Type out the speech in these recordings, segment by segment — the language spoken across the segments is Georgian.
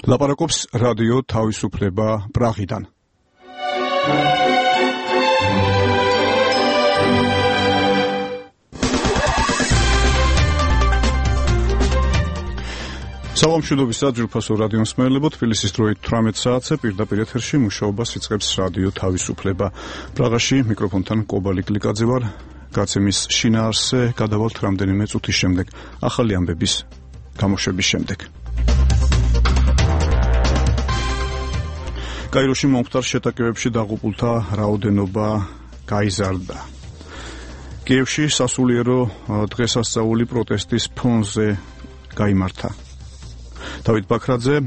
ლაპარაკობს რადიო თავისუფლება პრაღიდან. სალამშვიდობისა ძვირფასო რადიო მსმენელებო, თბილისის დროით 18 საათზე პირდაპირ ეთერში მუშაობას იწყებს რადიო თავისუფლება. პრაღაში მიკროფონთან კობალი გლიკაძე ვარ. გაცემის შინაარსზე გადავალთ რამდენიმე წუთის შემდეგ, ახალი ამბების გამოშვების შემდეგ. კაიროში მომხდარ შეტაკებებში დაღუპულთა რაოდენობა გაიზარდა. კიევში სასულიერო დღესასწაული პროტესტის ფონზე გაიმართა. დავით ბაქრაძე,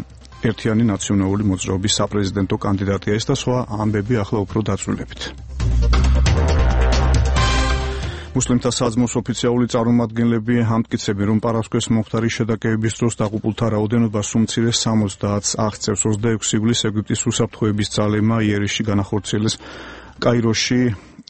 ერთიანი ნაციონალური მოძრაობის საპრეზიდენტო კანდიდატია ეს და სხვა ამბები ახლა უფრო დაწვრილებით. მუსლიმთა საძმოს ოფიციალური წარმომადგენლები ამტკიცებენ, რომ პარასკევს მომხდარი შეტაკებების დროს დაღუპულთა რაოდენობა სულ მცირე 70-ს აღწევს. 26 ივლისს ეგვიპტის უსაფრთხოების ძალებმა იერიში განახორციელეს კაიროში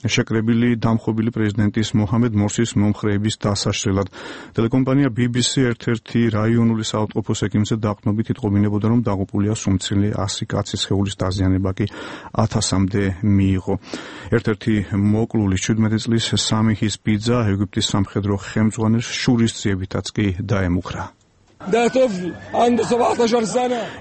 შეკრებილი დამხობილი პრეზიდენტის მოჰამედ მორსის მომხრეების დასაშლელად. ტელეკომპანია BBC ერთ-ერთი რაიონული საავადმყოფოს ექიმზე დაყრდნობით იტყობინებოდა, რომ დაღუპულია სულ მცირე 100 კაცის სხეულის დაზიანება კი 1000-მდე მიიღო. ერთ-ერთი მოკლული 17 წლის სამიჰის ბიძა ეგვიპტის სამხედრო ხელმძღვანელს შურისძიებითაც კი დაემუქრა.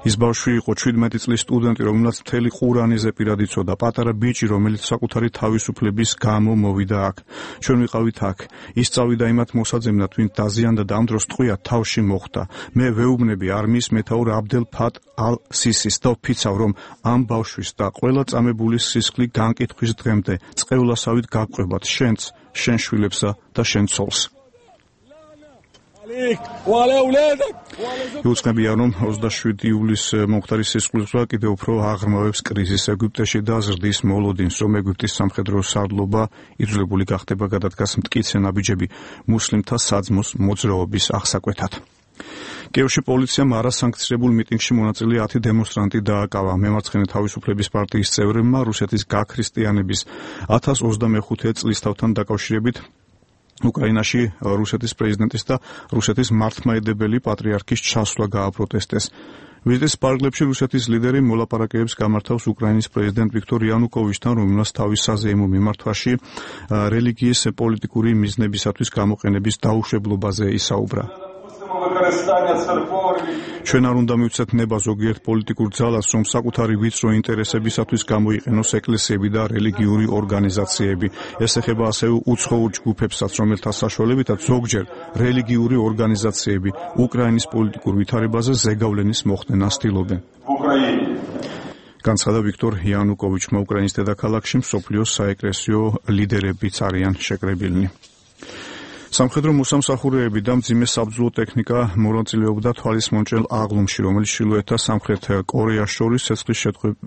ის ბავშვი იყო 17 წლის სტუდენტი, რომელსაც მთელი ყურანიზე პირად იცოდა, პატარა ბიჭი, რომელიც საკუთარი თავისუფლების გამო მოვიდა აქ. ჩვენ ვიყავით აქ. ის წავიდა იმათ მოსაძებნად, ვინც დაზიანდა და ამ დროს ტყვია თავში მოხვდა. მე ვეუბნები არმიის მეთაურ აბდელ ფატ ალ-სისის და ვფიცავ, რომ ამ ბავშვის და ყველა წამებული სისხლი განკითხვის დღემდე წყევლასავით გაგყვებათ შენც, შენ შვილებსა და შენ ცოლს. იუწყებია, რომ 27 ივლისს მომხდარი სისხლისღვრა კიდევ უფრო აღრმავებს კრიზისს ეგვიპტეში და ზრდის მოლოდინს, რომ ეგვიპტის სამხედრო სარდლობა იძულებული გახდება გადადგას მტკიცე ნაბიჯები მუსლიმთა საძმოს მოძრაობის აღსაკვეთად. კიევში პოლიციამ არასანქცირებულ მიტინგში მონაწილე 10 დემონსტრანტი დააკავა. მემარცხენე თავისუფლების პარტიის წევრებმა რუსეთის გაქრისტიანების 1025 წლისთავთან დაკავშირებით უკრაინაში რუსეთის პრეზიდენტის და რუსეთის მართლმადიდებელი პატრიარქის ჩასვლა გააპროტესტეს. ვიზიტის პარკლებში რუსეთის ლიდერი მოლაპარაკებებს გამართავს უკრაინის პრეზიდენტ ვიქტორ იანუკოვიჩთან, რომელსაც თავის საზეიმო მიმართვაში რელიგიის პოლიტიკური მიზნებისათვის გამოყენების დაუშვებლობაზე ისაუბრა. ჩვენ არ უნდა მივცეთ ნება ზოგიერთ პოლიტიკურ ძალას, რომ საკუთარი ვიწრო ინტერესებისათვის გამოიყენოს ეკლესიები და რელიგიური ორგანიზაციები. ეს ეხება ასევე უცხოურ ჯგუფებსაც, რომელთა საშუალებითაც ზოგჯერ რელიგიური ორგანიზაციები უკრაინის პოლიტიკურ ვითარებაზე ზეგავლენის მოხდენას ცდილობენ. განცხადა ვიქტორ იანუკოვიჩმა. უკრაინის დედაქალაქში მსოფლიოს საეკლესიო ლიდერებიც არიან შეკრებილნი. სამხედრო მოსამსახურეები და მძიმე საბრძოლო ტექნიკა მონაწილეობდა თვალისმონჭრელ აღლუმში, რომელიც ჩრდილოეთ და სამხრეთ კორეას შორის ცეცხლის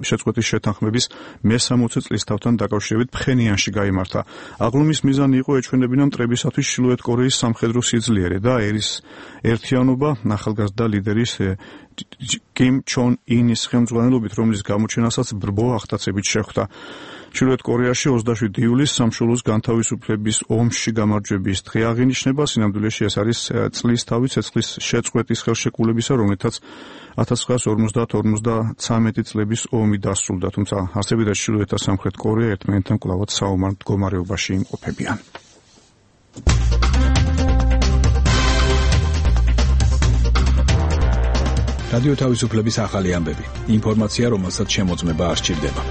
შეწყვეტის შეთანხმების მე-60 წლისთავთან დაკავშირებით ფხენიანში გაიმართა. აღლუმის მიზანი იყო ეჩვენებინა მტრებისათვის ჩრდილოეთ კორეის სამხედრო სიძლიერე და ერის ერთიანობა ახალგაზრდა ლიდერის კიმ ჩონ ინის ხელმძღვანელობით, რომლის გამოჩენასაც ბრბო აღტაცებით შეხვდა. ჩრდილოეთ კორეაში 27 ივლისს სამშობლოს განთავისუფლების ომში გამარჯვების დღე აღინიშნება. სინამდვილეში ეს არის წლისთავი ცეცხლის შეწყვეტის ხელშეკრულებისა, რომელთაც 1950-53 წლების ომი დასრულდა, თუმცა არსებიდა ჩრდილოეთ და სამხრეთ კორეა ერთმანეთთან კვლავად საომარ მდგომარეობაში იმყოფებიან. რადიო თავისუფლების ახალი ამბები. ინფორმაცია, რომელსაც შემოწმება არ სჭირდება.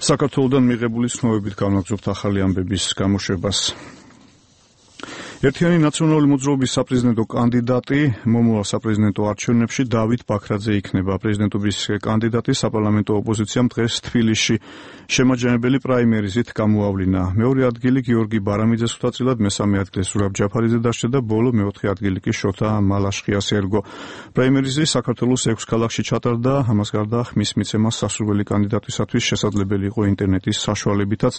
საქართველოდან მიღებული ცნობებით განვაგრძობთ ახალი ამბების გამოშვებას. ერთიანი ნაციონალური მოძრაობის საპრეზიდენტო კანდიდატი მომავალ საპრეზიდენტო არჩევნებში დავით ბაქრაძე იქნება. პრეზიდენტობის კანდიდატი საპარლამენტო ოპოზიციამ დღეს თბილისში შემაჯამებელი პრაიმერიზით გამოავლინა. მეორე ადგილი გიორგი ბარამიძეს ხვდაწილად, მესამე ადგილი ზურაბ ჯაფარიძე დარჩა და ბოლო მეოთხე ადგილი კი შოთა მალაშხიას ერგო. პრაიმერიზი საქართველოს 6 ქალაქში ჩატარდა. ამას გარდა ხმის მიცემა სასურველი კანდიდატისათვის შესაძლებელი იყო ინტერნეტის საშუალებითაც.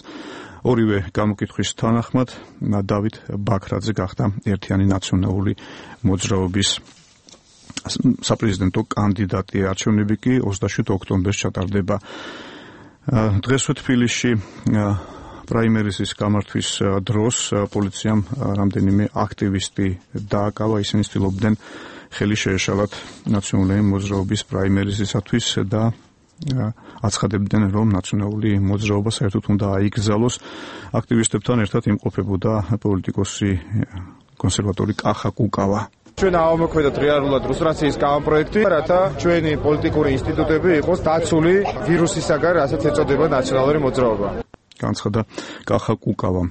ორივე გამოკითხვის თანახმად დავით ბაქრაძე გახდა ერთიანი ნაციონალური მოძრაობის საპრეზიდენტო კანდიდატი. არჩევნები კი 27 ოქტომბერს ჩატარდება. დღესვე თბილისში პრაიმერიზის გამართვის დროს პოლიციამ რამდენიმე აქტივისტი დააკავა, ისინი ცდილობდნენ ხელი შეეშალათ ნაციონალური მოძრაობის პრაიმერიზისათვის და აცხადებდნენ, რომ ნაციონალური მოძრაობა საერთოდ უნდა აიგზავნოს. აქტივისტებთან ერთად იმყოფებოდა პოლიტიკოსი კონსერვატორი კახა კუკავა. ჩვენ ავამოქმედოთ რეალურად რუსტრაციის კამპროექტი, რათა ჩვენი პოლიტიკური ინსტიტუტები იყოს დაცული ვირუსისაგან, რასაც ეწოდება ნაციონალური მოძრაობა. განცხადა კახა კუკავა.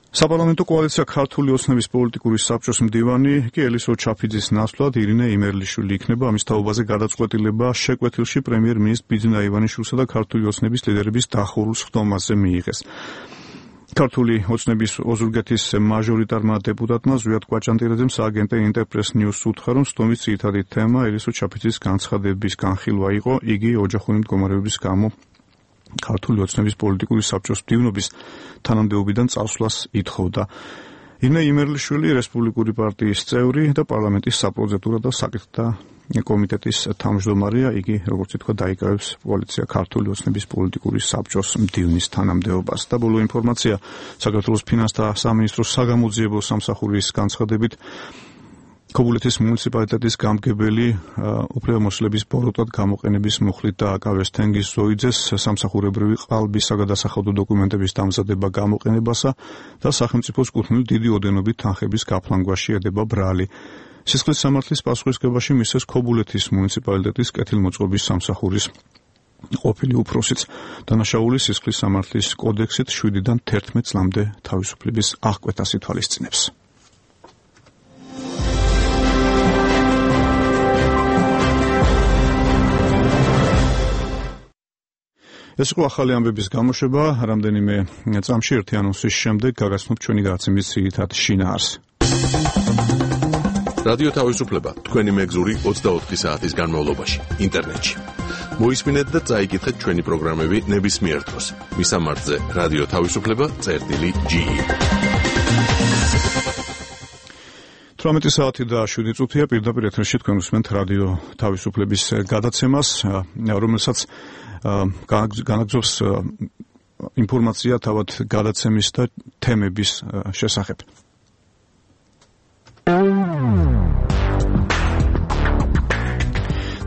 საპარლამენტო კოალიცია ქართული ოცნების პოლიტიკური საბჭოს მდივანი კი ელისო ჩაფიძის ნაცვლად ირინე იმერლიშვილი იქნება. ამის თაობაზე გადაწყვეტილება შეკვეთილში პრემიერ-მინისტრ ბიძინა ივანიშვილსა და ქართული ოცნების ლიდერების დახურულ სხდომაზე მიიღეს. ქართული ოცნების ოზურგეთის მაჟორიტარმა დეპუტატმა ზვიად კვაჭანტირაძემ სააგენტო ინტერპრეს ნიუს უთხრა, რომ სხდომის ძირითადი თემა ელისო ჩაფიძის განცხადების განხილვა იყო. იგი ოჯახური მდგომარეობის გამო ქართული ოცნების პოლიტიკური საბჭოს მდივნობის თანამდებობიდან წასვლას ითხოვდა. ირინე იმერლიშვილი რესპუბლიკური პარტიის წევრი და პარლამენტის საპროცედურო და საკითხთა კომიტეტის თავმჯდომარეა. იგი, როგორც ითქვა, დაიკავებს კოალიცია ქართული ოცნების პოლიტიკური საბჭოს მდივნის თანამდებობას. და ბოლო ინფორმაცია საქართველოს ფინანსთა სამინისტროს საგამოძიებო სამსახურის განცხადებით ქობულეთის მუნიციპალიტეტის გამგებელი უფლებამოსილების ბოროტად გამოყენების მუხლით დააკავეს თენგიზ ზოიძეს სამსახურებრივი ყალბის საგადასახადო დოკუმენტების დამზადება გამოყენებასა და სახელმწიფოს კუთვნილი დიდი ოდენობით თანხების გაფლანგვაში ედება ბრალი. სისხლის სამართლის პასუხისმგებაში მისცეს ქობულეთის მუნიციპალიტეტის კეთილმოწყობის სამსახურის ყოფილი უფროსიც. დანაშაული სისხლის სამართლის კოდექსით 7-დან 11 წლამდე თავისუფლების აღკვეთას ითვალისწინებს. ეს იყო ახალი ამბების გამოშვება. რამდენიმე წამში ერთი ანონსის შემდეგ გაგაცნობთ ჩვენი გადაცემის ძირითად შინაარსს. რადიო თავისუფლება თქვენი მეგზური 24 საათის განმავლობაში ინტერნეტში. მოისმინეთ და წაიკითხეთ ჩვენი პროგრამები ნებისმიერ დროს. მისამართზე რადიო თავისუფლება.ge 18 საათი და 7 წუთია პირდაპირ ეთერში თქვენ უსმენთ რადიო თავისუფლების გადაცემას, რომელსაც განაგზობს ინფორმაცია თავად გადაცემის და თემების შესახებ.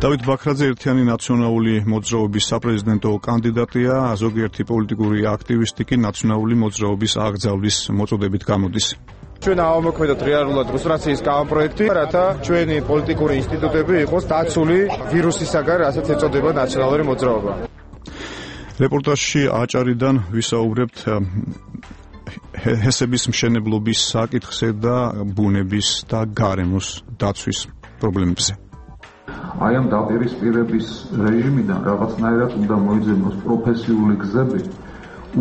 დავით ბაქრაძე ერთიანი ნაციონალური მოძრაობის საპრეზიდენტო კანდიდატია, ზოგიერთი პოლიტიკური აქტივისტი კი ნაციონალური მოძრაობის აკრძალვის მოწოდებით გამოდის. ჩვენ ავამოქმედოთ რეალურად რუსტრაციის კამპროექტი, რათა ჩვენი პოლიტიკური ინსტიტუტები იყოს დაცული ვირუსისაგან, რასაც ეწოდება ნაციონალური მოძრაობა. რეპორტაჟში აჭარიდან ვისაუბრებთ ჰესების მშენებლობის საკითხზე და ბუნების და გარემოს დაცვის პრობლემებზე. აი ამ დაპირისპირების რეჟიმიდან რაღაცნაირად უნდა მოიძებნოს პროფესიული გზები,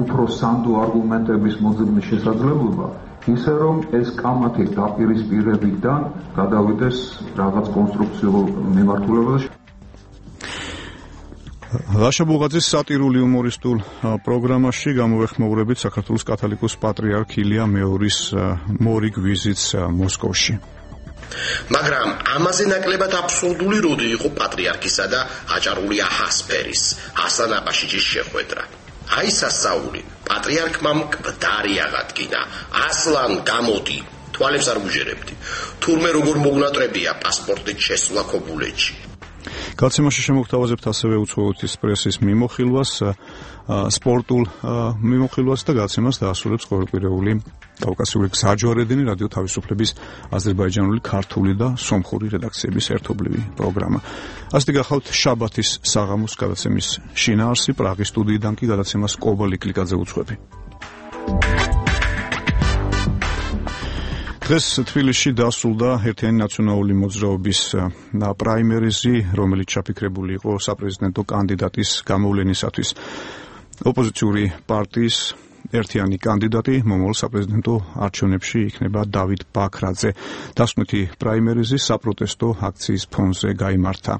უფრო სანდო არგუმენტების მოძებნის შესაძლებლობა, ისე რომ ეს კამათი დაპირისპირებიდან გადავიდეს რაღაც კონსტრუქციულ მიმართულებაში. ლაშა ბუღაძის სატირული იუმორისტულ პროგრამაში გამოვეხმაურებით საქართველოს კათოლიკოს პატრიარქ ილია მეორის მორიგ ვიზიტს მოსკოვში. მაგრამ ამაზე ნაკლებად აბსურდული როდი იყო პატრიარქისა და აჭარული აჰასფერის ასლან აბაშიძის შეხვედრა. აი სასაული, პატრიარქმა მკვდარი აღადგინა, ასლან გამოდი, თვალებს არ გუჟერებდი. თურმე როგორ მოგნატრებია პასპორტით შესვლა ქობულეთში. გადაცემაში შემოგთავაზებთ ასევე უცხოეთის პრესის მიმოხილვას, სპორტულ მიმოხილვას და გადაცემას დაასრულებს ყოველკვირეული კავკასიური გზაჯვარედინი რადიო თავისუფლების აზერბაიჯანული, ქართული და სომხური რედაქციების ერთობლივი პროგრამა. ასეთი გახავთ შაბათის საღამოს გადაცემის შინაარსი, პრაღის სტუდიიდან კი გადაცემას კობალი კლიკაძე უძღვები. დღეს თბილისში დასრულდა ერთიანი ნაციონალური მოძრაობის პრაიმერიზი, რომელიც ჩაფიქრებული იყო საპრეზიდენტო კანდიდატის გამოვლენისათვის. ოპოზიციური პარტიის ერთიანი კანდიდატი მომავალ საპრეზიდენტო არჩევნებში იქნება დავით ბაქრაძე. დასკვნითი პრაიმერიზი საპროტესტო აქციის ფონზე გაიმართა.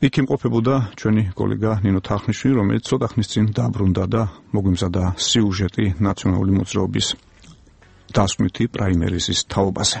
იქ იმყოფებოდა ჩვენი კოლეგა ნინო თახნიშვილი, რომელიც ცოტა ხნის წინ დაბრუნდა და მოგვიმზადა სიუჟეტი ნაციონალური მოძრაობის დასკვნითი პრაიმერიზის თაობაზე.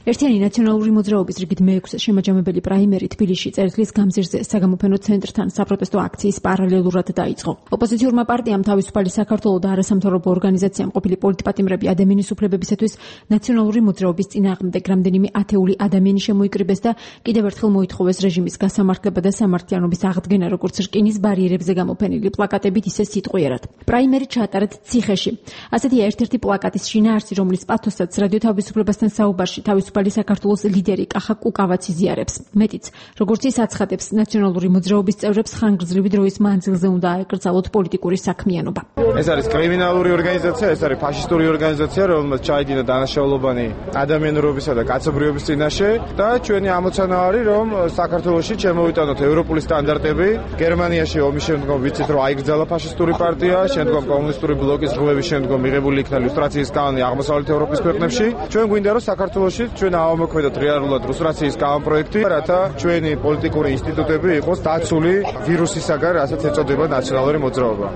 ერთიანი ნაციონალური მოძრაობის რიგით მე-6 შემაჯამებელი პრაიმერი თბილისში წერტილის გამზირზე საგამოფენო ცენტრთან საპროტესტო აქციის პარალელურად დაიწყო. ოპოზიციურმა პარტიამ თავისუფალი საქართველო და არასამთავრობო ორგანიზაციამ ყოფილი პოლიტპატიმრები ადამიანის უფლებებისათვის ნაციონალური მოძრაობის წინააღმდეგ რამდენიმე ათეული ადამიანი შემოიკრიბეს და კიდევ ერთხელ მოითხოვეს რეჟიმის გასამართლება და სამართლიანობის აღდგენა, როგორც რკინის ბარიერებზე გამოფენილი პლაკატებით, ისე სიტყვიერად. პრაიმერი ჩაატარეთ ციხეში. ასეთია ერთ-ერთი პლაკატის შინაარსი, რომლის პათოსაც რადიო თავისუფლებასთან საუბარში თავისუფალი საქართველოს ლიდერი კახა კუკავაც იზიარებს. მეტიც, როგორც ის აცხადებს, ნაციონალური მოძრაობის წევრებს ხანგრძლივი დროის მანძილზე უნდა აეკრძალოთ პოლიტიკური საქმიანობა. ეს არის კრიმინალური ორგანიზაცია, ეს არის ფაშისტური ორგანიზაცია, რომელმაც ჩაიდინა დანაშაულობანი ადამიანურობისა და კაცობრიობის წინაშე და ჩვენი ამოცანა არის, რომ საქართველოში შემოვიტანოთ ევროპული სტანდარტები. გერმანიაში ომის შემდგომ ვიცით, რომ აიგრძალა ფაშისტური პარტია, შემდგომ კომუნისტური ბლოკის ღლების შემდგომ მიღებული იქნა ლუსტრაციის კანონი აღმოსავლეთ ევროპის ქვეყნებში. ჩვენ გვინდა, რომ საქართველოში ჩვენ ავამოქმედოთ რეალურად ლუსტრაციის კანონპროექტი, რათა ჩვენი პოლიტიკური ინსტიტუტები იყოს დაცული ვირუსისაგან, რასაც ეწოდება ნაციონალური მოძრაობა.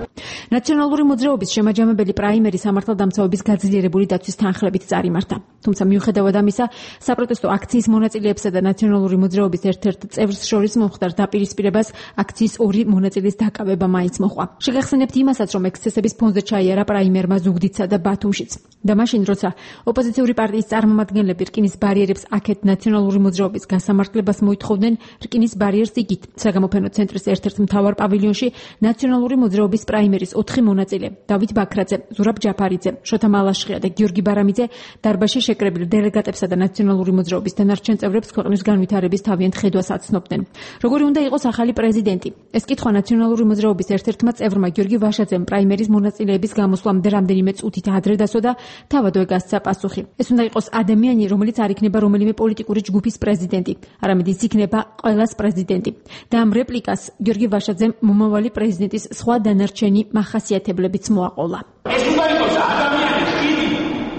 ნაციონალური მოძრაობის შემაჯამებელი პრაიმერი სამართალდამცავების გაძლიერებული დაცვის თანხლებით წარიმართა. თუმცა მიუხედავად ამისა, საპროტესტო აქციის მონაწილეებსა და ნაციონალური მოძრაობის ერთ-ერთ წევრს შორის მომხდარ დაპირისპირებას აქციის ორი მონაწილის დაკავება მაინც მოჰყვა. შეგახსენებთ იმასაც, რომ ექსცესების ფონზე ჩაიარა პრაიმერმა ზუგდიდსა და ბათუმშიც. და მაშინ, როცა ოპოზიციური პარტიის წარმომადგენლები რკინის ბარიერებს აქეთ ნაციონალური მოძრაობის გასამართლებას მოითხოვდნენ, რკინის ბარიერს იგით საგამოფენო ცენტრის ერთ-ერთ მთავარ პავილიონში ნაციონალური მოძრაობის პრაიმერის 4 მონაწილე დავით ბაქრაძე, ზურაბ ჯაფარიძე, შოთა მალაშხია და გიორგი ბარამიძე დარბაზში შეკრებილ დელეგატებსა და ნაციონალური მოძრაობის დანარჩენ წევრებს ქვეყნის განვითარების თავიანთ ხედვას აცნობდნენ. როგორი უნდა იყოს ახალი პრეზიდენტი? ეს კითხვა ნაციონალური მოძრაობის ერთ-ერთმა წევრმა გიორგი ვაშაძემ პრაიმერის მონაწილეების გამოსვლამდე რამდენიმე წუთით ადრე დასვა და თავად გასცა პასუხი. ეს უნდა იყოს ადამიანი, რომელიც არ იქნება რომელიმე პოლიტიკური ჯგუფის პრეზიდენტი, არამედ ის იქნება ყველას პრეზიდენტი. და ამ რეპლიკას გიორგი ვაშაძემ მომავალი პრეზიდენტის სხვა დანარჩენი მახასიათებლებიც მოაყოლა. ეს უნდა იყოს ადამიანი,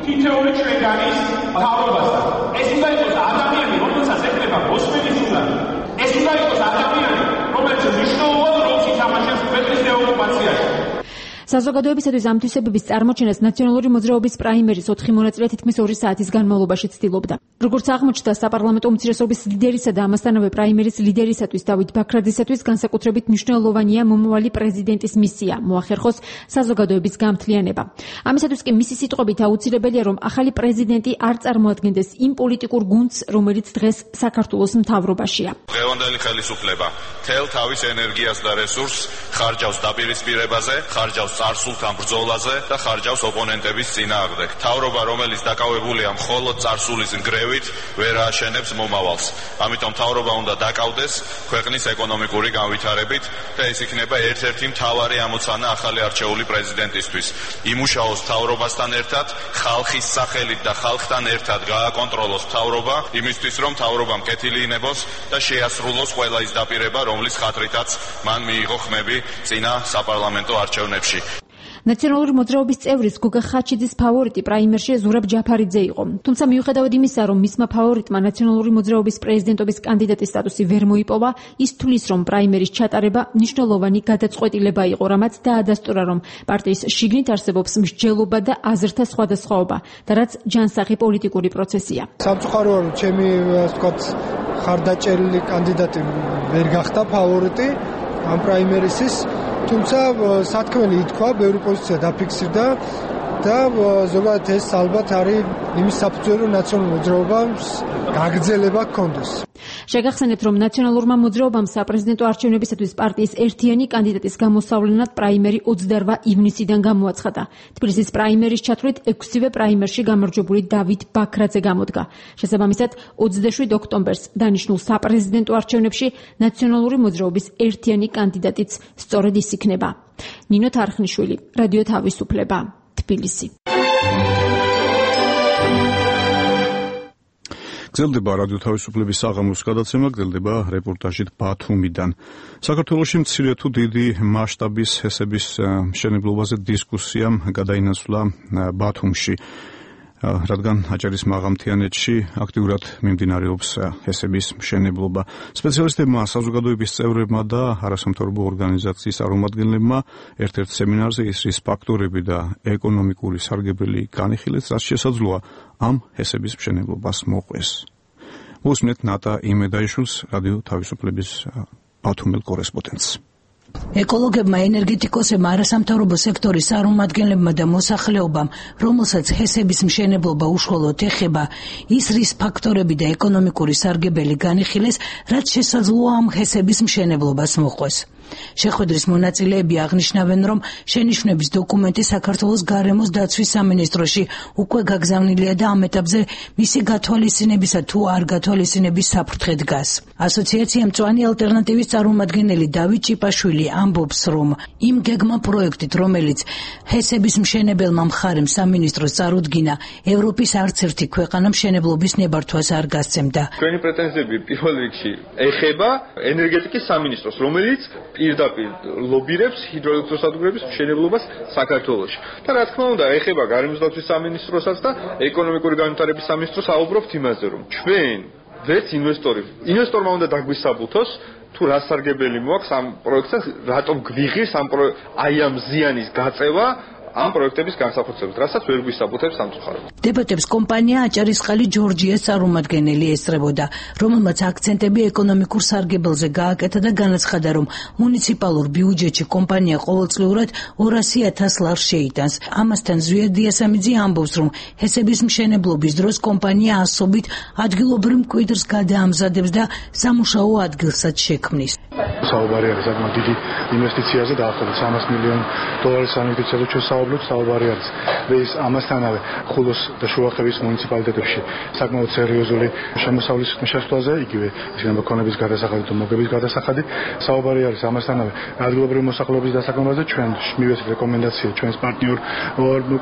თითოეული ჩვენგანის მთავრობასთან. ეს უნდა იყოს ადამიანი, რომელსაც ეკრება მოსმენის უნარი. ეს უნდა იყოს ადამიანი, რომელიც მნიშვნელოვან როლს ითამაშებს ქვეყნის დეოკუპაციაში. საზოგადოებისათვის ამ თვისებების წარმოჩენას ნაციონალური მოძრაობის პრაიმერის 4 მონაწილე თითქმის 2 საათის განმავლობაში ცდილობდა. როგორც აღმოჩნდა, საპარლამენტო უმცირესობის ლიდერისა და ამასთანავე პრაიმერის ლიდერისათვის დავით ბაქრაძისათვის განსაკუთრებით მნიშვნელოვანია მომავალი პრეზიდენტის მისია, მოახერხოს საზოგადოების გამთლიანება. ამისათვის კი მისი სიტყვებით აუცილებელია, რომ ახალი პრეზიდენტი არ წარმოადგენდეს იმ პოლიტიკურ გუნდს, რომელიც დღეს საქართველოს მთავრობაშია. დღევანდელი ხელისუფლება თელ თავის ენერგიას და რესურსს ხარჯავს დაპირისპირებაზე, ხარჯავს წარსულთან ბრძოლაზე და ხარჯავს ოპონენტების წინააღმდეგ. მთავრობა, რომელიც დაკავებულია მხოლოდ წარსულის ნგრევით, ვერ ააშენებს მომავალს. ამიტომ მთავრობა უნდა დაკავდეს ქვეყნის ეკონომიკური განვითარებით და ეს იქნება ერთ-ერთი მთავარი ამოცანა ახალი არჩეული პრეზიდენტისთვის. იმუშაოს მთავრობასთან ერთად, ხალხის სახელით და ხალხთან ერთად გააკონტროლოს მთავრობა, იმისთვის რომ მთავრობამ კეთილი ინებოს და შეასრულოს ყველა ის დაპირება, რომლის ხათრითაც მან მიიღო ხმები წინა საპარლამენტო არჩევნებში. ნაციონალური მოძრაობის წევრის გოგა ხაჩიძის ფავორიტი პრაიმერში ზურაბ ჯაფარიძე იყო. თუმცა მიუხედავად იმისა, რომ მისმა ფავორიტმა ნაციონალური მოძრაობის პრეზიდენტობის კანდიდატის სტატუსი ვერ მოიპოვა, ის თვლის, რომ პრაიმერის ჩატარება მნიშვნელოვანი გადაწყვეტილება იყო, რამაც დაადასტურა, რომ პარტიის შიგნით არსებობს მსჯელობა და აზრთა სხვადასხვაობა და რაც ჯანსაღი პოლიტიკური პროცესია. სამწუხაროა, რომ ჩემი ასე ვთქვათ ხარდაჭერილი კანდიდატი ვერ გახდა ფავორიტი ამ პრაიმერისის. თუმცა სათქმელი ითქვა, ბევრი პოზიცია დაფიქსირდა და ზოგადად ეს ალბათ არის იმის საფუძველი, რომ ნაციონალურ მოძრაობას გაგრძელება ჰქონდეს. შეგახსენებთ, რომ ნაციონალურმა მოძრაობამ საპრეზიდენტო არჩევნებისათვის პარტიის ერთიანი კანდიდატის გამოსავლენად პრაიმერი 28 ივნისიდან გამოაცხადა. თბილისის პრაიმერის ჩათვლით 6-ვე პრაიმერში გამარჯვებული დავით ბაქრაძე გამოდგა. შესაბამისად, 27 ოქტომბერს დანიშნულ საპრეზიდენტო არჩევნებში ნაციონალური მოძრაობის ერთიანი კანდიდატიც სწორედ ის იქნება. ნინო თარხნიშვილი, რადიო თავისუფლება, თბილისი. გრძელდება რადიო თავისუფლების საღამოს გადაცემა, გრძელდება რეპორტაჟით ბათუმიდან. საქართველოში მცირე თუ დიდი მასშტაბის ჰესების მშენებლობაზე დისკუსია გადაინაცვლა ბათუმში. რადგან აჭარის მაღალმთიანეთში აქტიურად მიმდინარეობს ჰესების მშენებლობა. სპეციალისტებმა, საზოგადოების წევრებმა და არასამთავრობო ორგანიზაციის წარმომადგენლებმა ერთ-ერთ სემინარზე ისრის ფაქტორები და ეკონომიკური სარგებელი განიხილეს, რაც შესაძლოა ამ ჰესების მშენებლობას მოყვეს. უსმენთ ნატა იმედაიშვილს, რადიო თავისუფლების ბათუმელ კორესპონდენტს. ეკოლოგებმა, ენერგეტიკოსებმა, არასამთავრობო სექტორის წარმომადგენლებმა და მოსახლეობამ, რომელსაც ჰესების მშენებლობა უშუალოდ ეხება, ისრის ფაქტორები და ეკონომიკური სარგებელი განიხილეს, რაც შესაძლოა ამ ჰესების მშენებლობას მოყვეს. შეხვედრის მონაწილეები აღნიშნავენ, რომ შენიშვნების დოკუმენტი საქართველოს გარემოს დაცვის სამინისტროში უკვე გაგზავნილია და ამ ეტაპზე მისი გათვალისწინებისა თუ არ გათვალისწინების საფრთხე დგას. ასოციაცია მწვანე ალტერნატივის წარმომადგენელი დავით ჭიპაშვილი ამბობს, რომ იმ გეგმა პროექტით, რომელიც ჰესების მშენებელმა მხარემ სამინისტროს წარუდგინა, ევროპის არც ერთი ქვეყანა მშენებლობის ნებართვას არ გასცემდა. Ჩვენი პრეტენზიები პირველ რიგში ეხება ენერგეტიკის სამინისტროს, რომელიც პირდაპირ ლობირებს ჰიდროელექტროსადგურების მშენებლობას საქართველოში. და რა თქმა უნდა, ეხება გარემოს დაცვის სამინისტროსაც და ეკონომიკური განვითარების სამინისტროს. აუბრობთ იმაზე, რომ ჩვენ ვერც ინვესტორმა უნდა დაგვისაბუთოს თუ რა სარგებელი მოაქვს ამ პროექტს, რატომ გვიღირს აი ამ ზიანის გაწევა ამ პროექტების განსახორციელებლად, რასაც ვერ გვისაბუთებს სამწუხაროდ. დებატებს კომპანია აჭარისწყალი ჯორჯიას წარმომადგენელი ესწრებოდა, რომელმაც აქცენტები ეკონომიკურ სარგებელზე გააკეთა და განაცხადა, რომ მუნიციპალურ ბიუჯეტში კომპანია ყოველწლიურად 200,000 ლარს შეიტანს. ამასთან ზვიად დიასამიძე ამბობს, რომ ჰესების მშენებლობის დროს კომპანია ასობით ადგილობრივ მკვიდრს გადაამზადებს და სამუშაო ადგილსაც შექმნის. საუბარი არის საკმაოდ დიდი ინვესტიციაზე, დაახლოებით $300 მილიონი ინვესტიციაზე საუბარი არის. ეს ამასთანავე ხულოს და შუახევის მუნიციპალიტეტებში საკმაოდ სერიოზული შემოსავლის შესვლაზე, იგივე ისინი ქონების გადასახადი და მოგების გადასახადი. საუბარი არის ამასთანავე ადგილობრივი მოსახლეობის დასაქმებაზე. ჩვენ მივეცეთ რეკომენდაცია ჩვენს პარტნიორ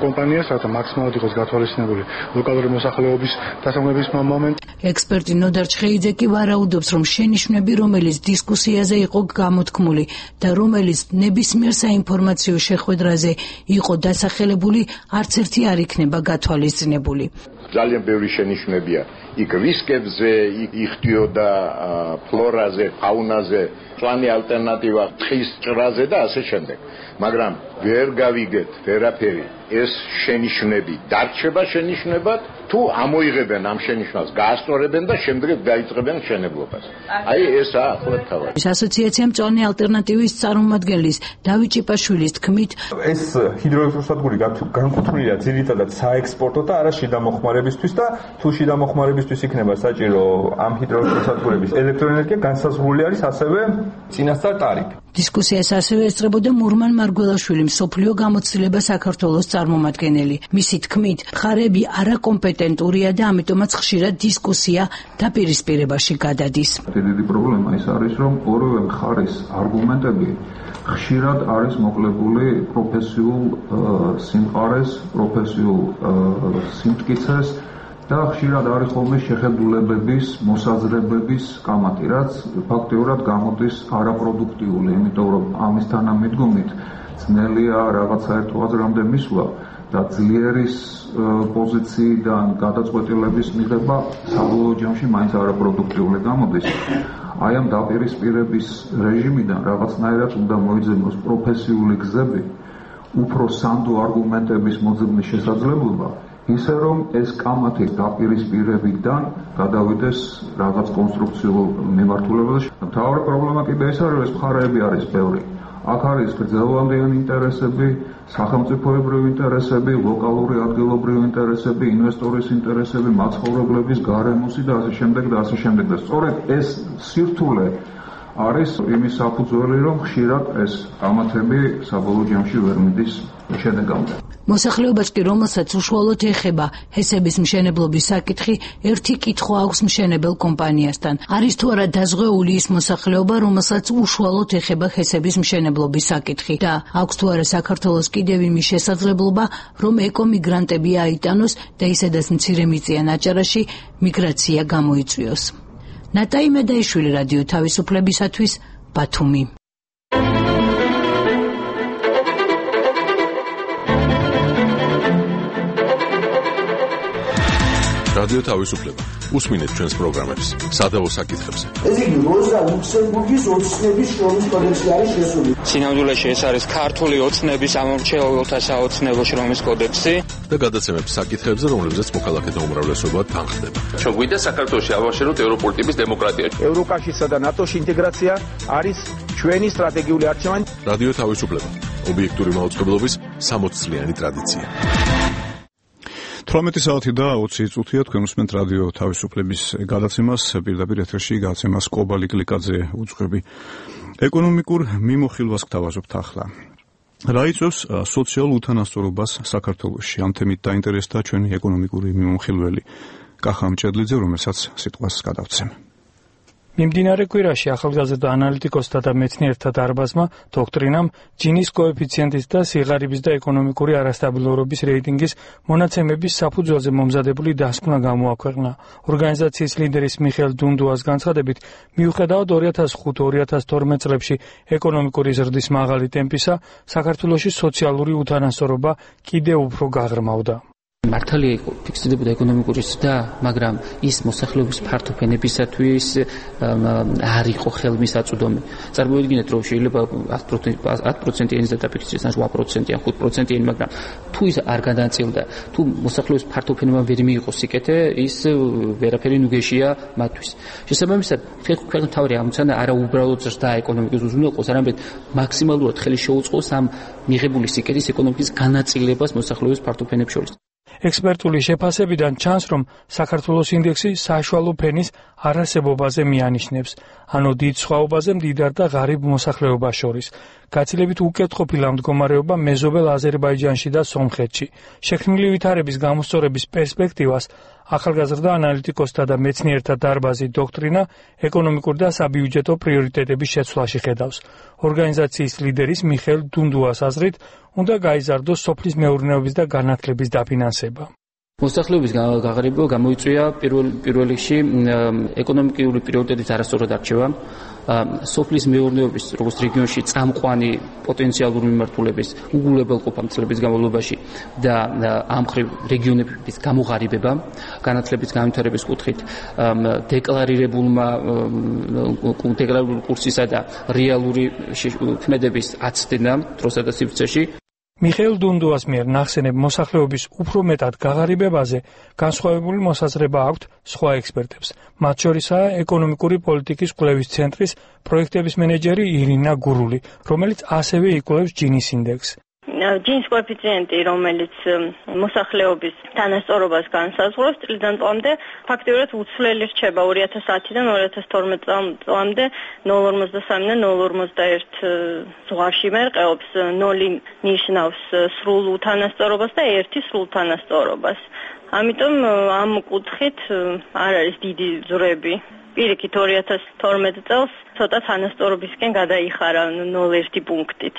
კომპანიას, რათა მაქსიმალურად იყოს გათვალისწინებული ლოკალური მოსახლეობის დასაქმების მომენტი. ექსპერტი ნოდარ ჩხეიძე კი ვარაუდობს, რომ შენიშვნები, რომელიც დისკუსიაზე იყო გამოთქმული და რომელიც ნებისმიერ საინფორმაციო შეხვედრაზე იყო დასახელებული, არც ერთი არ იქნება გათვალისწინებული. ძალიან ბევრი შენიშვნებია იქ რისკებზე, იხდიოდა ფლორაზე, ფაუნაზე, მწვანე ალტერნატივა ტყის ჭრაზე და ასე შემდეგ. მაგრამ ვერ გავიგეთ ვერაფერი. ეს შენიშვნები დარჩება შენიშვნებად, თუ ამოიღებენ ამ შენიშვნას, გაასწორებენ და შემდეგ დაიწყებენ მშენებლობას. აი ესაა ახლა თავი. ასოციაცია მწვანე ალტერნატივის წარმომადგენლის დავით ჭიპაშვილის თქმით, ეს ჰიდროელექტროსადგური განკუთვნილია ძირითადად საექსპორტო და არა შიდა მოხმარებისთვის და თუ შიდა მოხმარებისთვის იქნება საჭირო ამ ჰიდროელექტროსადგურების ელექტროენერგია, განსაზღვრული არის ასევე წინასწარ ტარიფი. დისკუსიას ასევე ესწრებოდა მურმან მარგველაშვილი, მსოფლიო გამოცდილება საქართველოს წარმომადგენელი. მისი თქმით, მხარეები არაკომპეტენტურია და ამიტომაც ხშირად დისკუსია დაპირისპირებაში გადადის. დიდი პრობლემა ის არის, რომ ორივე მხარის არგუმენტები ხშირად არის მოკლებული პროფესიულ სიმყარეს, პროფესიულ სიმტკიცეს და ხშირად არის ხოლმე შეხედულებების, მოსაზრებების კამათი, რაც ფაქტიურად გამოდის არაპროდუქტიული, იმიტომ რომ ამის თანამედროვით ძნელია რაღაც საერთო აზრამდე მისვლა და ძლიერის პოზიციიდან გადაწყვეტილების მიღება საბოლოო ჯამში მაინც არაპროდუქტიული გამოდის. აი ამ დაპირისპირების რეჟიმიდან რაღაცნაირად უნდა მოიძებნოს პროფესიული გზები, უფრო სანდო არგუმენტების მოძებნის შესაძლებლობა, ისე რომ ეს კამათი დაპირისპირებიდან გადავიდეს რაღაც კონსტრუქციულ მიმართულებაზე. მთავარი პრობლემა კიდე ის არის, რომ ეს მხარეები არის ბევრი. აქ არის გრძელვადიანი ინტერესები, სახელმწიფოებრივი ინტერესები, ლოკალური ადგილობრივი ინტერესები, ინვესტორის ინტერესები, მაცხოვრებლების, გარემოსი და ასე შემდეგ და ასე შემდეგ. და სწორედ ეს სირთულე არის იმის საფუძველი, რომ ხშირად ეს კამათები საბოლოო ჯამში ვერ მიდის შედეგამდე. მოსახლეობას კი, რომელსაც უშუალოდ ეხება ჰესების მშენებლობის საკითხი, ერთი კითხვა აქვს მშენებელ კომპანიასთან. არის თუ არა დაზღვეული ის მოსახლეობა, რომელსაც უშუალოდ ეხება ჰესების მშენებლობის საკითხი და აქვს თუ არა საქართველოს კიდევ იმის შესაძლებლობა, რომ ეკომიგრანტები აიტანოს და ისედაც მცირემიწიან აჭარაში მიგრაცია გამოიწვიოს. ნატა იმედაიშვილი, რადიო თავისუფლებისათვის, ბათუმი. რადიო თავისუფლება. უსმინეთ ჩვენს პროგრამებს სადავო საკითხებზე. ეს იგი როზა ლუქსემბურგის ოცნების შრომის კოდექსი არის შესული. სინამდვილეში ეს არის ქართული ოცნების ამომრჩეველთა საოცნებო შრომის კოდექსი და გადაცემებს საკითხებზე, რომლებზეც მოქალაქეთა უმრავლესობა თანხდება. ჩვენ გვინდა საქართველოში ავაშენოთ ევროპული ტიპის დემოკრატია. ევროკავშირსა და ნატოში ინტეგრაცია არის ჩვენი სტრატეგიული არჩევანი. რადიო თავისუფლება. ობიექტური მაუწყებლობის 60 წლიანი ტრადიცია. 18 საათი და 20 წუთია თქვენ უსმენთ რადიო თავისუფლების გადაცემას, პირდაპირ ეთერში გადაცემას კობალი კლიკაძე უძღვები. ეკონომიკურ მიმოხილვას გთავაზობთ ახლა. რა იწვევს სოციალურ უთანასწორობას საქართველოში? ამ თემით დაინტერესდა ჩვენი ეკონომიკური მიმოხილველი კახა მჭედლიძე, რომელსაც სიტყვას გადავცემ. მიმდინარე კვირაში ახალგაზრდა ანალიტიკოსთა და მეცნიერთა დარბაზმა დოქტრინამ ჯინის კოეფიციენტის და სიღარიბის და ეკონომიკური არასტაბილურობის რეიტინგის მონაცემების საფუძველზე მომზადებული დასკვნა გამოაქვეყნა. ორგანიზაციის ლიდერის მიხეილ დუნდუას განცხადებით, მიუხედავად 2005-2012 წლებში ეკონომიკური ზრდის მაღალი ტემპისა, საქართველოში სოციალური უთანასწორობა კიდევ უფრო გაღრმავდა. მართალია ფიქსირდებოდა ეკონომიკური ზრდა, მაგრამ ის მოსახლეობის ფართო ფენებისათვის არ იყო ხელმისაწვდომი. წარმოიდგინეთ, რომ შეიძლება 10%-იანი ზრდა დაფიქსირდეს, ან 8%-იანი, 5%-იანი, მაგრამ თუ ის არ გადაწილდა, თუ მოსახლეობის ფართო ფენებამ ვერ მიიღო სიკეთე, ის ვერაფერი ნუგეშია მათთვის. შესაბამისად, ქვეყნის მთავარი ამოცანა არა უბრალოდ ზრდა ეკონომიკის უზრუნველყოფას, არამედ მაქსიმალურად ხელი შეუწყოს ამ მიღებული სიკეთის ეკონომიკის განაწილებას მოსახლეობის ფართო ფენებს შორის. ექსპერტული შეფასებიდან ჩანს, რომ საქართველოს ინდექსი საშუალო ფენის არარსებობაზე მიანიშნებს, ანუ დიდ სხვაობაზე მდიდარ და ღარიბ მოსახლეობას შორის. გაცილებით უკეთყოფილა მდგომარეობა მეზობელ აზერბაიჯანში და სომხეთში. შექმნილი ვითარების გამოსწორების პერსპექტივას ახალგაზრდა ანალიტიკოსთა და მეცნიერთა დარბაზი დოქტრინა ეკონომიკური და საბიუჯეტო პრიორიტეტების შეცვლაში ხედავს. ორგანიზაციის ლიდერის მიხეილ დუნდუას აზრით, უნდა გაიზარდოს სოფლის მეურნეობის და განათლების დაფინანსება. მოსახლეობის გაღრიბება გამოიწვია პირველ რიგში ეკონომიკური პრიორიტეტის არასწორად არჩევა, სოფლის მეურნეობის როგორც რეგიონში წამყვანი პოტენციალური მიმართულების უგულებელყოფა წლების განმავლობაში და ამ მხრივ რეგიონების გამოღარიბება, განათლების განვითარების კუთხით დეკლარირებული კურსისა და რეალური ქმედების აცდენა დროსა და სივრცეში. მიხეილ დუნდუას მიერ ნახსენებ მოსახლეობის უფრო მეტად გაღარიბებაზე განსხვავებული მოსაზრება აქვთ სხვა ექსპერტებს. მათ შორისაა ეკონომიკური პოლიტიკის კვლევის ცენტრის პროექტების მენეჯერი ირინა გურული, რომელიც ასევე იკვლევს ჯინის ინდექსს. ჯინის კოეფიციენტი, რომელიც მოსახლეობის თანასწორობას განსაზღვრავს, წლიდან წლამდე ფაქტიურად უცვლელი რჩება 2010-დან 2012 წლამდე 0,53-დან 0,51 ზღვარში მერყეობს. 0 ნიშნავს სრულ უთანასწორობას და 1 სრულ თანასწორობას. ამიტომ ამ კუთხით არ არის დიდი ზრები. პირიქით 2012 წელს ცოტა თანასწორობისკენ გადაიხარა 0,1 პუნქტით.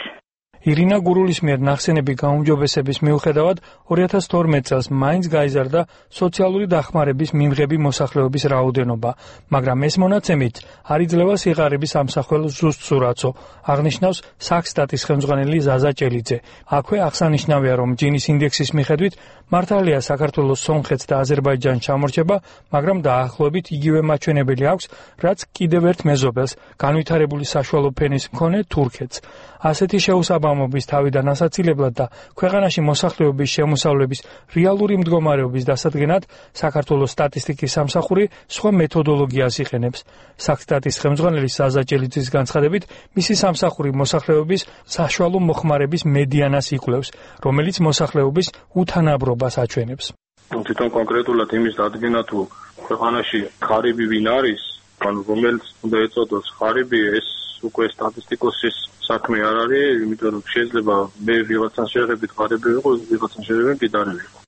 ირინა გურულის მიერ ნახსენები გაუმჯობესების მიუხედავად 2012 წელს მაინც გაიზარდა სოციალური დახმარების მიმღები მოსახლეობის რაოდენობა, მაგრამ ეს მონაცემით არ იძლევა სიღარიბის ამსახველ ზუსტ სურათო, აღნიშნავს საქსტატის ხელმძღვანელი ზაზა ჭელიძე. აქვე აღსანიშნავია, რომ ჯინის ინდექსის მიხედვით მართალია საქართველოს სომხეთს და აზერბაიჯანს ჩამორჩება, მაგრამ დაახლოებით იგივე მაჩვენებელი აქვს, რაც კიდევ ერთ მეზობელს, განვითარებული საშუალო ფენის მქონე თურქეთს. ასეთი შეუსაბამობის თავიდან ასაცილებლად და ქვეყანაში მოსახლეობის შემოსავლების რეალური მდგომარეობის დასადგენად საქართველოს სტატისტიკის სამსახური სხვა მეთოდოლოგიას იყენებს. საქსტატის ხელმძღვანელი ზაზა ჭელიძის განცხადებით, მისი სამსახური მოსახლეობის საშუალო მოხმარების მედიანას იკვლევს, რომელიც მოსახლეობის უთანაბრობას აჩვენებს. თვითონ კონკრეტულად იმის დადგენა თუ ქვეყანაში ღარიბი ვინ არის, ანუ რომელიც უნდა ეწოდოს ღარიბი, ეს უკვე სტატისტიკოსის საქმე არ არის, იმიტომ რომ შეიძლება მე ვიღაცას შეერთებით ღარიბი ვიყო, ვიღაცას შეერთებით მდიდარი ვიყო.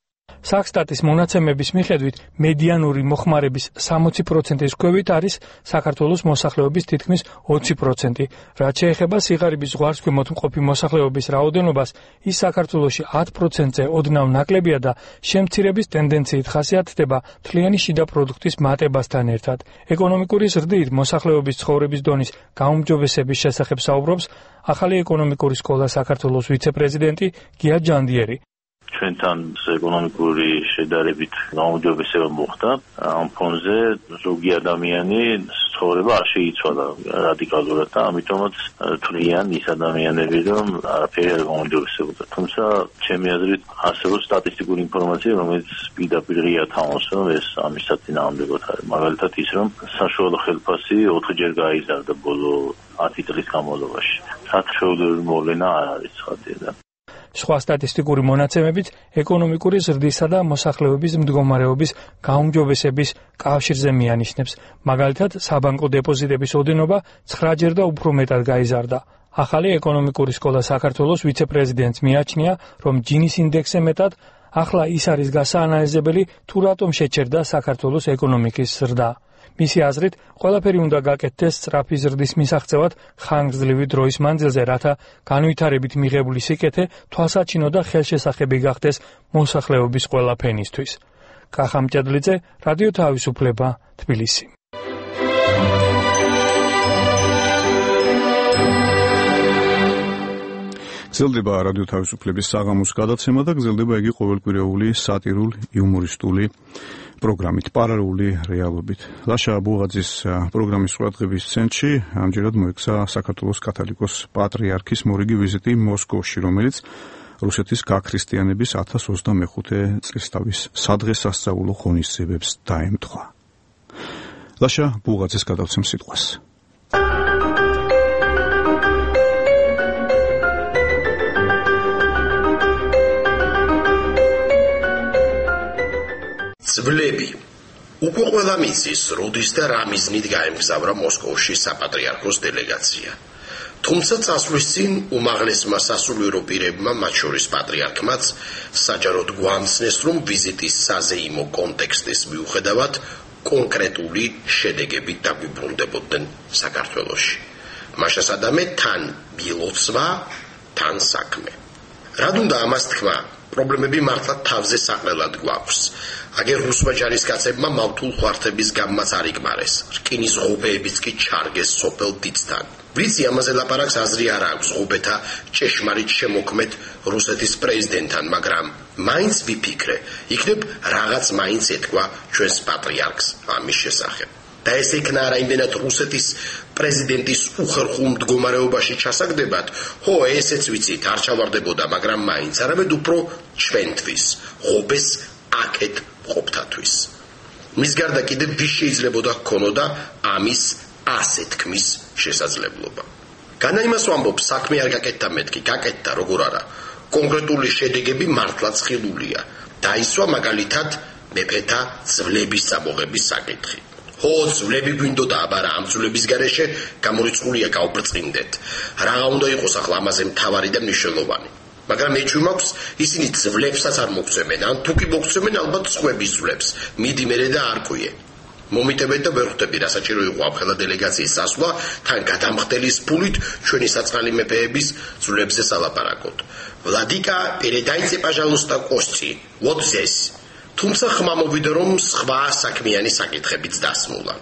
საქსტატის მონაცემების მიხედვით მედიანური მოხმარების 60%-ის ქვევით არის საქართველოს მოსახლეობის თითქმის 20%. რაც შეეხება სიღარიბის ზღვარსქვემოთ მყოფი მოსახლეობის რაოდენობას, ის საქართველოში 10%-ზე ოდნავ ნაკლებია და შემცირების ტენდენციით ხასიათდება თლიანი შიდა პროდუქტის მატებასთან ერთად. ეკონომიკური ზრდით მოსახლეობის ცხოვრების დონის გაუმჯობესების შესახებ საუბრობს ახალი ეკონომიკური სკოლა საქართველოს ვიცე-პრეზიდენტი გია ჯანდიერი. ჩვენთან ეკონომიკური შედარებით გაუმჯობესება მოხდა. ამ ფონზე ზოგი ადამიანი ცხოვრება არ შეიცვალა რადიკალურად და ამიტომაც თვლიან ის ადამიანები, რომ არაფერი არ გაუმჯობესებოდა. თუმცა ჩემი აზრით არსებობს სტატისტიკური ინფორმაცია, რომელიც პირდაპირ ღია თამაშობს, რომ ეს ამის საწინააღმდეგოდ არის. მაგალითად ის, რომ საშუალო ხელფასი 4-ჯერ გაიზარდა ბოლო 10 წლის განმავლობაში. საერთაშორისო მოვლენა არ არის ცხადია. სხვა სტატისტიკური მონაცემებით ეკონომიკური ზრდისა და მოსახლეობის მდგომარეობის გაუმჯობესების კავშირზე მიანიშნებს. მაგალითად, საბანკო დეპოზიტების ოდენობა 9-ჯერ და უფრო მეტად გაიზარდა. ახალი ეკონომიკური სკოლა საქართველოს ვიცე-პრეზიდენტს მიაჩნია, რომ ჯინის ინდექსზე მეტად ახლა ის არის გასაანალიზებელი, თუ რატომ შეჩერდა საქართველოს ეკონომიკის ზრდა. მისი აზრით, ყველაფერი უნდა გაკეთდეს სწრაფი ზრდის მისაღწევად ხანგრძლივი დროის მანძილზე, რათა განვითარებით მიღებული სიკეთე თვალსაჩინო და ხელშესახები გახდეს მოსახლეობის ყველა ფენისთვის. კახა მჭედლიძე, რადიო თავისუფლება, თბილისი. გრძელდება რადიო თავისუფლების საღამოს გადაცემა და გრძელდება იგი ყოველკვირეული სატირულ-იუმორისტული პროგრამით, პარალელური რეალობით. ლაშა ბუღაძის პროგრამის ყურადღების ცენტრში ამჯერად მოექცა საქართველოს კათოლიკოს პატრიარქის მორიგი ვიზიტი მოსკოვში, რომელიც რუსეთის გაქრისტიანების 1025 წლისთავის სადღესასწაულო ღონისძიებებს დაემთხვა. ლაშა ბუღაძის გადავცემ სიტყვას. ძვლები უკვე ყველა მიცის, როდის და რა მიზნით გაემგზავრა მოსკოვში საპატრიარქოს დელეგაცია. თუმცა წასვლის წინ უმაღლესმა სასულიერო პირებმა, მათ შორის პატრიარქმაც, საჯაროდ გვამცნეს, რომ ვიზიტის საზეიმო კონტექსტის მიუხედავად კონკრეტული შედეგებით დაგვიბრუნდებოდნენ საქართველოში. მაშასადამე თან ბილოცვა, თან საქმე. რად უნდა ამას თქვა? პრობლემები მართლა თავზე საყრელად გვაქვს. აგერ რუსმა ჯარისკაცებმა მავთულ ხვართების გამმაც არ იგმარეს. რკინის ღობეებიც კი ჩარგეს სოფელ დიცთან. ვიცი ამაზე ლაპარაკს აზრი არ აქვს ღობეთა ჭეშმარიტ შემოქმედ რუსეთის პრეზიდენტთან, მაგრამ მაინც ვიფიქრე, იქნებ რაღაც მაინც ეთქვა ჩვენს პატრიარქს ამის შესახებ. და ეს იქნა არა იმდენად რუსეთის პრეზიდენტის უხერხულ მდგომარეობაში ჩასაგდებად, ხო, ესეც ვიცით, არ ჩავარდებოდა, მაგრამ მაინც არამედ უფრო ჩვენთვის, ღობეს აქეთ ყოფთათვის. მის გარდა კიდევ ვის შეიძლებოდა ჰქონოდა ამის ასე თქმის შესაძლებლობა. განა იმას ვამბობ, საქმე არ გაკეთდა მეთქი, გაკეთდა, როგორ არა. კონკრეტული შედეგები მართლაც ხილულია. დაისვა მაგალითად მეფეთა ძვლების წამოღების საკითხი. ხო, ძვლები გვინდოდა, აბარა ამ ძვლების გარეშე გამორიცხულია გავბრწყინდეთ. რაღა უნდა იყოს ახლა ამაზე მთავარი და მნიშვნელოვანი. მაგრამ მეჩვი მაქვს, ისინი ძვლებსაც არ მოგცემენ, ან თუ კი მოგცემენ, ალბათ სხვების ძვლებს. მიდი მერე და არ ყვიე. მომიტებეთ და ვერ ხვდები, რა საჭირო იყო ამხელა დელეგაციის წასვლა, თან გადამხდელის ფულით ჩვენი საწყალი მეფეების ძვლებზე სალაპარაკოთ. ვლადიკა, передайте, пожалуйста, кости. Вот здесь. თუმცა ხმა მოვიდა, რომ სხვა საქმიანი საკითხებიც დასმულა.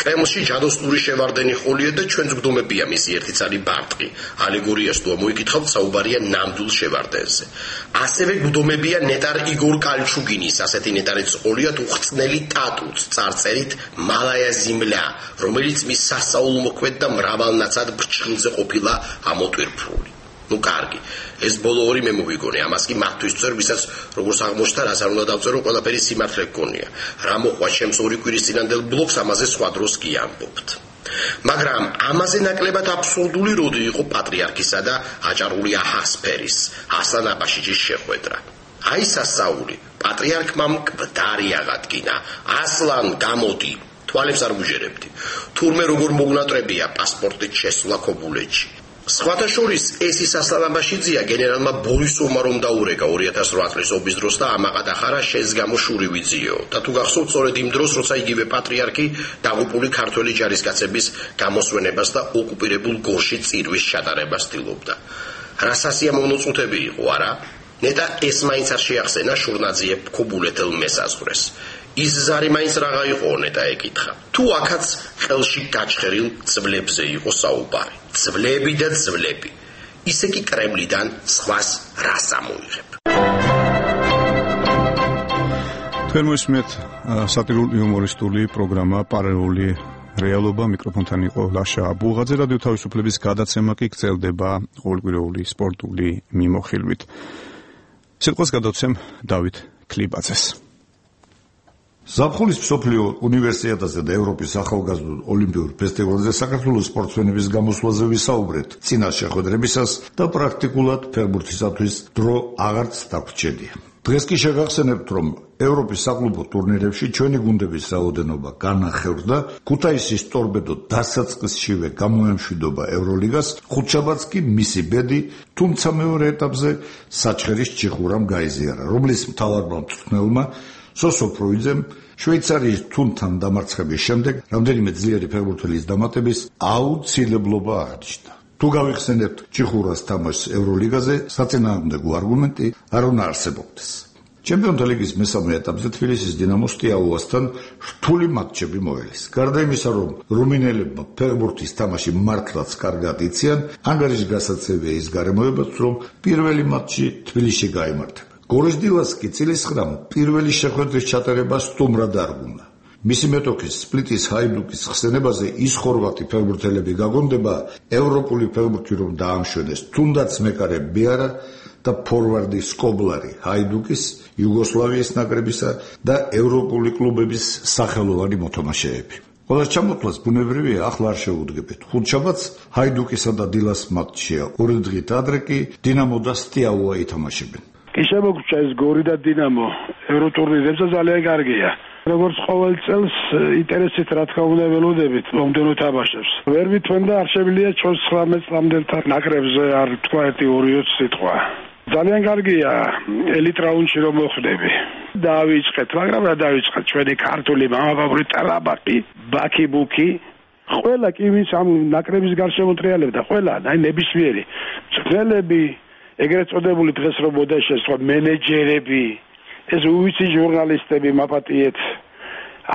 კრემლში ჯადოსნური შევარდენი ყოლია და ჩვენც გვდომებია მისი ერთი ცალი ბარტყი. ალეგორიას თუ მოიკითხავთ, საუბარია ნამდვილ შევარდენზე. ასევე გვდომებია ნეტარ იგორ კალჩუგინის, ასეთი ნეტარიც ყოლია უხწნელი ტატუც წარწერით მალაია ზიმლა, რომელიც მის სასწაულ მოქმედ და მრავალნაცად ბრჩხილზე ყოფილა ამოტვირფრული. ნუ კარგი, ეს ბოლო ორი მე მოვიგონე, ამას კი მათთვის წერ, ვისაც როგორც აღმოჩნდა, რაც არ უნდა დავწერო, ყველაფერი სიმართლე გქონია. რა მოყვა ჩემს ორი კვირის წინანდელ ბლოგს, ამაზე სხვა დროს კი ამბობთ. მაგრამ ამაზე ნაკლებად აბსურდული როდი იყო პატრიარქისა და აჭარული აჰასფერის, ასლან აბაშიძის შეხვედრა. აი სასწაული, პატრიარქმა მკვდარი აღადგინა. ასლან, გამოდი, თვალებს არ გუჟერებდი. თურმე როგორ მოგნატრებია პასპორტით შესვლა ქობულეთში. სხვათა შორის ეს ის ასლანაბაშიძია გენერალმა ბორისოვმა რომ დაურეკა 2008 წლის ომის დროს და ამაყად ახარა შენს გამო შური ვიძიო და თუ გახსოვთ სწორედ იმ დროს როცა იგივე პატრიარქი დაღუპული ქართველი ჯარისკაცების გამოსვენებას და ოკუპირებულ გორში წირვის ჩატარებას ცდილობდა. რა სასიამოვნო წუთები იყო, არა? ნეტა ეს მაინც არ შეახსენა შურნაძიებ ქობულეთელ მესაზღვრეს. ის ზარი მაინც რაღა იყო, ნეტა ეკითხა. თუ აქაც ხელში გაჩხერილ ძვლებზე იყო საუბარი. ძვლები და ძვლები. ისე კი კრემლიდან სხვას რას ამოიღებ. თქვენ მოსმენთ სატირული იუმორისტული პროგრამა პარალელური რეალობა, მიკროფონთან იყო ლაშა აბულღაძე. რადიო თავისუფლების გადაცემა კი გრძელდება ყოველკვირეული სპორტული მიმოხილვით. სიტყვას გადავცემ დავით ქლიბაძეს. ზაფხულის მსოფლიო უნივერსიადაზე და ევროპის ახალგაზრდულ ოლიმპიურ ფესტივალზე საქართველოს სპორტსმენების გამოსვლაზე ვისაუბრეთ წინა შეხვედრებისას და პრაქტიკულად ფეხბურთისათვის დრო აღარც დაგვრჩენია. დღეს კი შეგახსენებთ, რომ ევროპის საკლუბო ტურნირებში ჩვენი გუნდების რაოდენობა განახევრდა, ქუთაისის ტორპედო დასაწყისშივე გამოემშვიდობა ევროლიგას, ხუთშაბათს კი მისი ბედი, თუმცა მეორე ეტაპზე საჩხერის ჩიხურამ გაიზიარა, რომლის მთავარმა მწვრთნელმა სოსო ფროიძემ შვეიცარიის თუნთან დამარცხების შემდეგ რამდენიმე ძლიერი ფეხბურთელის დამატების აუცილებლობა აღნიშნა. თუ გავიხსენებთ ჩიხურას თამაშს ევროლიგაზე, საწინააღმდეგო არგუმენტი არ უნდა არსებობდეს. ჩემპიონთა ლიგის მესამე ეტაპზე თბილისის დინამოს სტიაუასთან რთული მატჩები მოელის. გარდა იმისა, რომ რუმინელებმა ფეხბურთის თამაში მართლაც კარგად იციან, ანგარიშგასაცემია ის გარემოებაც, რომ პირველი მატჩი თბილისში გაიმართება. გორის დილას კი წილისხრამ პირველი შეხვედრის ჩატარება სტუმრად არ უნდა. მისი მეტოქის სპლიტის ჰაიდუკის ხსენებაზე ის ხორვატი ფეხბურთელები გაგონდება ევროპული ფეხბურთი რომ დაამშვენეს, თუნდაც მეკარე ბიარა და ფორვარდი სკობლარი ჰაიდუკის, იუგოსლავიის ნაკრებისა და ევროპული კლუბების სახელოვანი მოთამაშეები. ყველას ჩამოთვლას ბუნებრივია, ახლა არ შეუდგებთ. ხუთშაბათს ჰაიდუკისა და დილას მატჩია. ორი დღით ადრე კი დინამო და სტიაუა ითამაშებენ. კი შემოგვრჩა ეს გორი და დინამო ევროტურნირებზე ძალიან კარგია. როგორც ყოველ წელს ინტერესით რა თქმა უნდა ველოდებით მომდენო თამაშებს. ვერ ვითვენდა არ შემიძლია ჩვენს 19 წლამდელთა ნაკრებზე არ თქვა 1-2 სიტყვა. ძალიან კარგია ელიტ რაუნდში რომ მოხვდები. დავიწყეთ, მაგრამ რა დავიწყეთ? ჩვენი ქართული მამაპაპური ტრაბაკი, ბაკი-ბუკი, ყველა კი ვინც ამ ნაკრების გარშემო ტრიალებდა, ყველა, აი ნებისმიერი მწვრთნელები, ეგრეთ წოდებული დღეს რომ მოდაშეს სხვა მენეჯერები, ეს უვიცი ჟურნალისტები მაპატიეთ,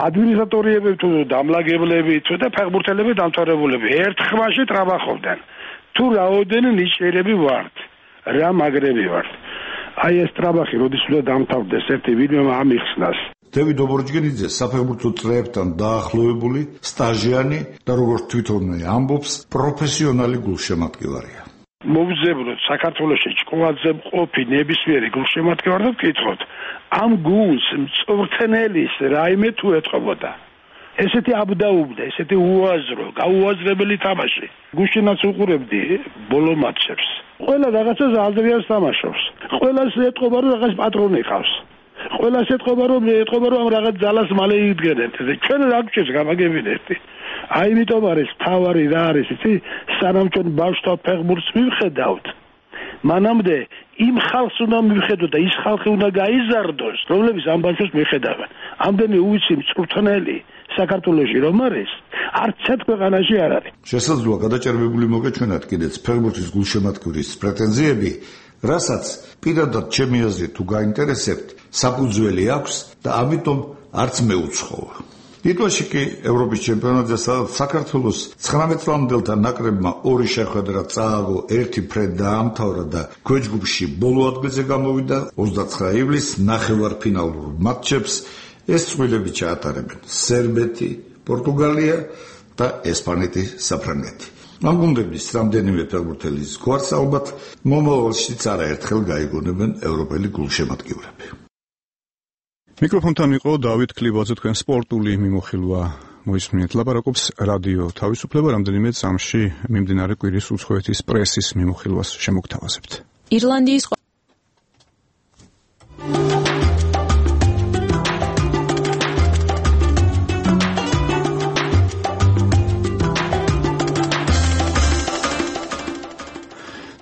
ადმინისტრატორები თუ დამლაგებლები თუ და ფეხბურთელები დამთავრებულები ერთ ხმაში ტრაბახობდნენ. თუ რაოდენი ნიჭიერები ვართ, რა მაგრები ვართ. აი ეს ტრაბახი როდის უნდა დამთავრდეს, ერთი ვინმე ამიხსნას. დევიდ ობორჯგინიძე საფეხბურთო წრეებთან დაახლოებული სტაჟიანი და როგორც თვითონვე ამბობს, პროფესიონალი გულშემატკივარია. მოვძებნოთ საქართველოში ჭკუაძე მყოფი ნებისმიერი გულშემატკივარი და ვკითხოთ ამ გულს მწვრთნელის რაიმე თუ ეთყობოდა ესეთი აბდაუბდა, ესეთი უაზრო, გაუაზრებელი თამაში. გუშინაც უყურებდი ბოლო მატჩებს. ყველა რაღაცას აზრიას თამაშობს. ყველას ეთყობა რომ რაღაც პატრონი ყავს. ყველას ეთყობა რომ ამ რაღაც ძალას მალე იდგენთ. ჩვენ რა გვჭირს გამაგებინეთ. აი იმიტომ არის თავარი რა არის იცი სანამ ჩვენ ბავშვთა ფეხბურთს მივხედავთ მანამდე იმ ხალხს უნდა მივხედოთ და ის ხალხი უნდა გაიზარდოს რომლებიც ამ ბავშვებს მიხედავენ ამდენი უვიცი მწვრთნელი საქართველოში რომ არის არც ერთ ქვეყანაში არ არის შესაძლოა გადაჭერბებული მოგეჩვენათ კიდეც ფეხბურთის გულშემატკივრის პრეტენზიები რასაც პირადად ჩემი აზრით თუ გაინტერესებთ საფუძველი აქვს და ამიტომ არც მეუცხოვა ლიტვაში კი ევროპის ჩემპიონატზე საქართველოს 19 წლამდელთა ნაკრებმა ორი შეხვედრა წააგო, ერთი ფრედ დაამთავრა და ქვეჯგუფში ბოლო ადგილზე გამოვიდა 29 ივლისს ნახევარფინალურ მატჩებს ეს წყვილები ჩაატარებენ სერბეთი, პორტუგალია და ესპანეთი, საფრანგეთი. ამ გუნდების რამდენიმე ფეხბურთელის გვარს ალბათ მომავალშიც არაერთხელ გაიგონებენ ევროპელი გულშემატკივრები. მიკროფონთან იყო დავით ქლიბაძე, თქვენ სპორტული მიმოხილვა მოისმინეთ. ლაპარაკობს რადიო თავისუფლება, რამდენიმე წამში მიმდინარე კვირის უცხოეთის პრესის მიმოხილვას შემოგთავაზებთ. ირლანდიის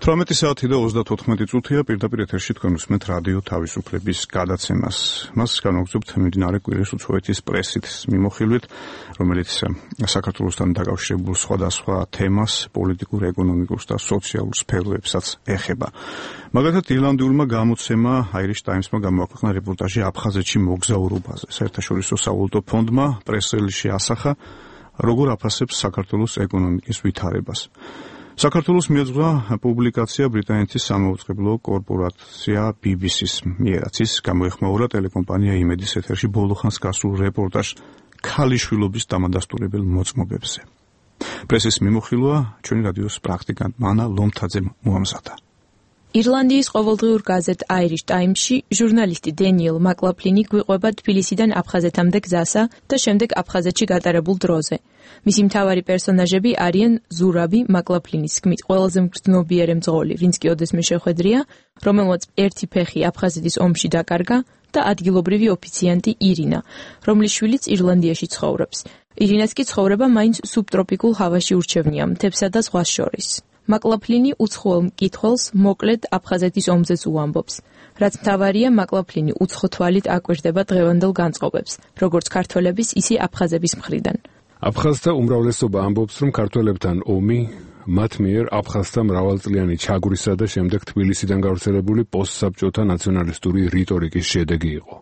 საათი და 34 წუთია პირდაპირ ეთერში თქვენ უსმენთ რადიო თავისუფლების გადაცემას. მას განვაგრძობთ მიმდინარე კვირის უცხოეთის პრესით მიმოხილვით, რომელიც საქართველოსთან დაკავშირებულ სხვადასხვა თემას, პოლიტიკურ, ეკონომიკურ და სოციალურ სფეროებსაც ეხება. მაგალითად, ირლანდიურმა გამოცემა Irish Times-მა გამოაქვეყნა რეპორტაჟი აფხაზეთში მოგზაურობაზე. საერთაშორისო სავალუტო ფონდმა პრეს-რელიზში ასახა, როგორ აფასებს საქართველოს ეკონომიკის ვითარებას. საქართველოს მიეძღვნა პუბლიკაცია ბრიტანეთის სამაუწყებლო კორპორაცია BBC-ს მიერაც ის გამოეხმაურა ტელეკომპანია იმედის ეთერში ბოლო ხანს გასულ რეპორტაჟს ქალიშვილობის დამადასტურებელ მოწმობებზე. პრესის მიმოხილვა ჩვენი რადიოს პრაქტიკანტ მანა ლომთაძემ მოამზადა. ირლანდიის ყოველდღიურ გაზეთ Irish Times-ში ჟურნალისტი დენიელ მაკლაფლინი გვიყვება თბილისიდან აფხაზეთამდე გზასა და შემდეგ აფხაზეთში გატარებულ დროზე. მისი მთავარი პერსონაჟები არიან ზურაბი, მაკლაფლინის თქმით ყველაზე მგრძნობიარე მძღოლი, ვინც კი ოდესმე შეხვედრია, რომელმაც ერთი ფეხი აფხაზეთის ომში დაკარგა და ადგილობრივი ოფიციანტი ირინა, რომლის შვილიც ირლანდიაში ცხოვრობს. ირინას კი ცხოვრება მაინც სუბტროპიკულ ჰავაში ურჩევნია, მთებსა და ზღვას შორის. მაკლაფლინი უცხოელ მკითხველს მოკლედ აფხაზეთის ომზეც უამბობს. რაც მთავარია, მაკლაფლინი უცხო თვალით აკვირდება დღევანდელ განწყობებს, როგორც ქართველების, ისე აფხაზების მხრიდან. აფხაზთა უმრავლესობა ამბობს, რომ ქართველებთან ომი მათ მიერ აფხაზთა მრავალწლიანი ჩაგვრისა და შემდეგ თბილისიდან გავრცელებული პოსტსაბჭოთა ნაციონალისტური რიტორიკის შედეგი იყო.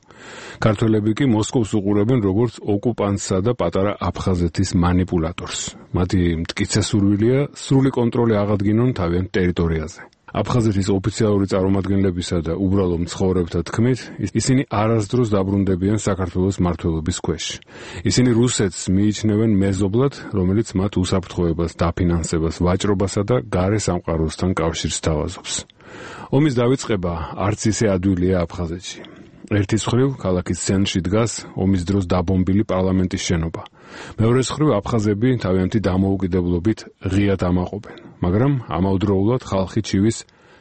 ქართველები კი მოსკოვს უყურებენ როგორც ოკუპანტსა და პატარა აფხაზეთის მანიპულატორს. მათი მტკიცე სურვილია სრული კონტროლი აღადგინონ თავიანთ ტერიტორიაზე. აფხაზეთის ოფიციალური წარმომადგენლებისა და უბრალო მცხოვრებთა თქმით, ისინი არასდროს დაბრუნდებიან საქართველოს მმართველობის ქვეშ. ისინი რუსეთს მიიჩნევენ მეზობლად, რომელიც მათ უსაფრთხოებას, დაფინანსებას, ვაჭრობასა და გარე სამყაროსთან კავშირს სთავაზობს. ომის დავიწყება არც ისე ადვილია აფხაზეთში. ერთის მხრივ ქალაქის ცენტრში დგას ომის დროს დაბომბილი პარლამენტის შენობა. მეორეს მხრივ აფხაზები თავიანთი დამოუკიდებლობით ღიად ამაყობენ, მაგრამ ამავდროულად ხალხი ჩივის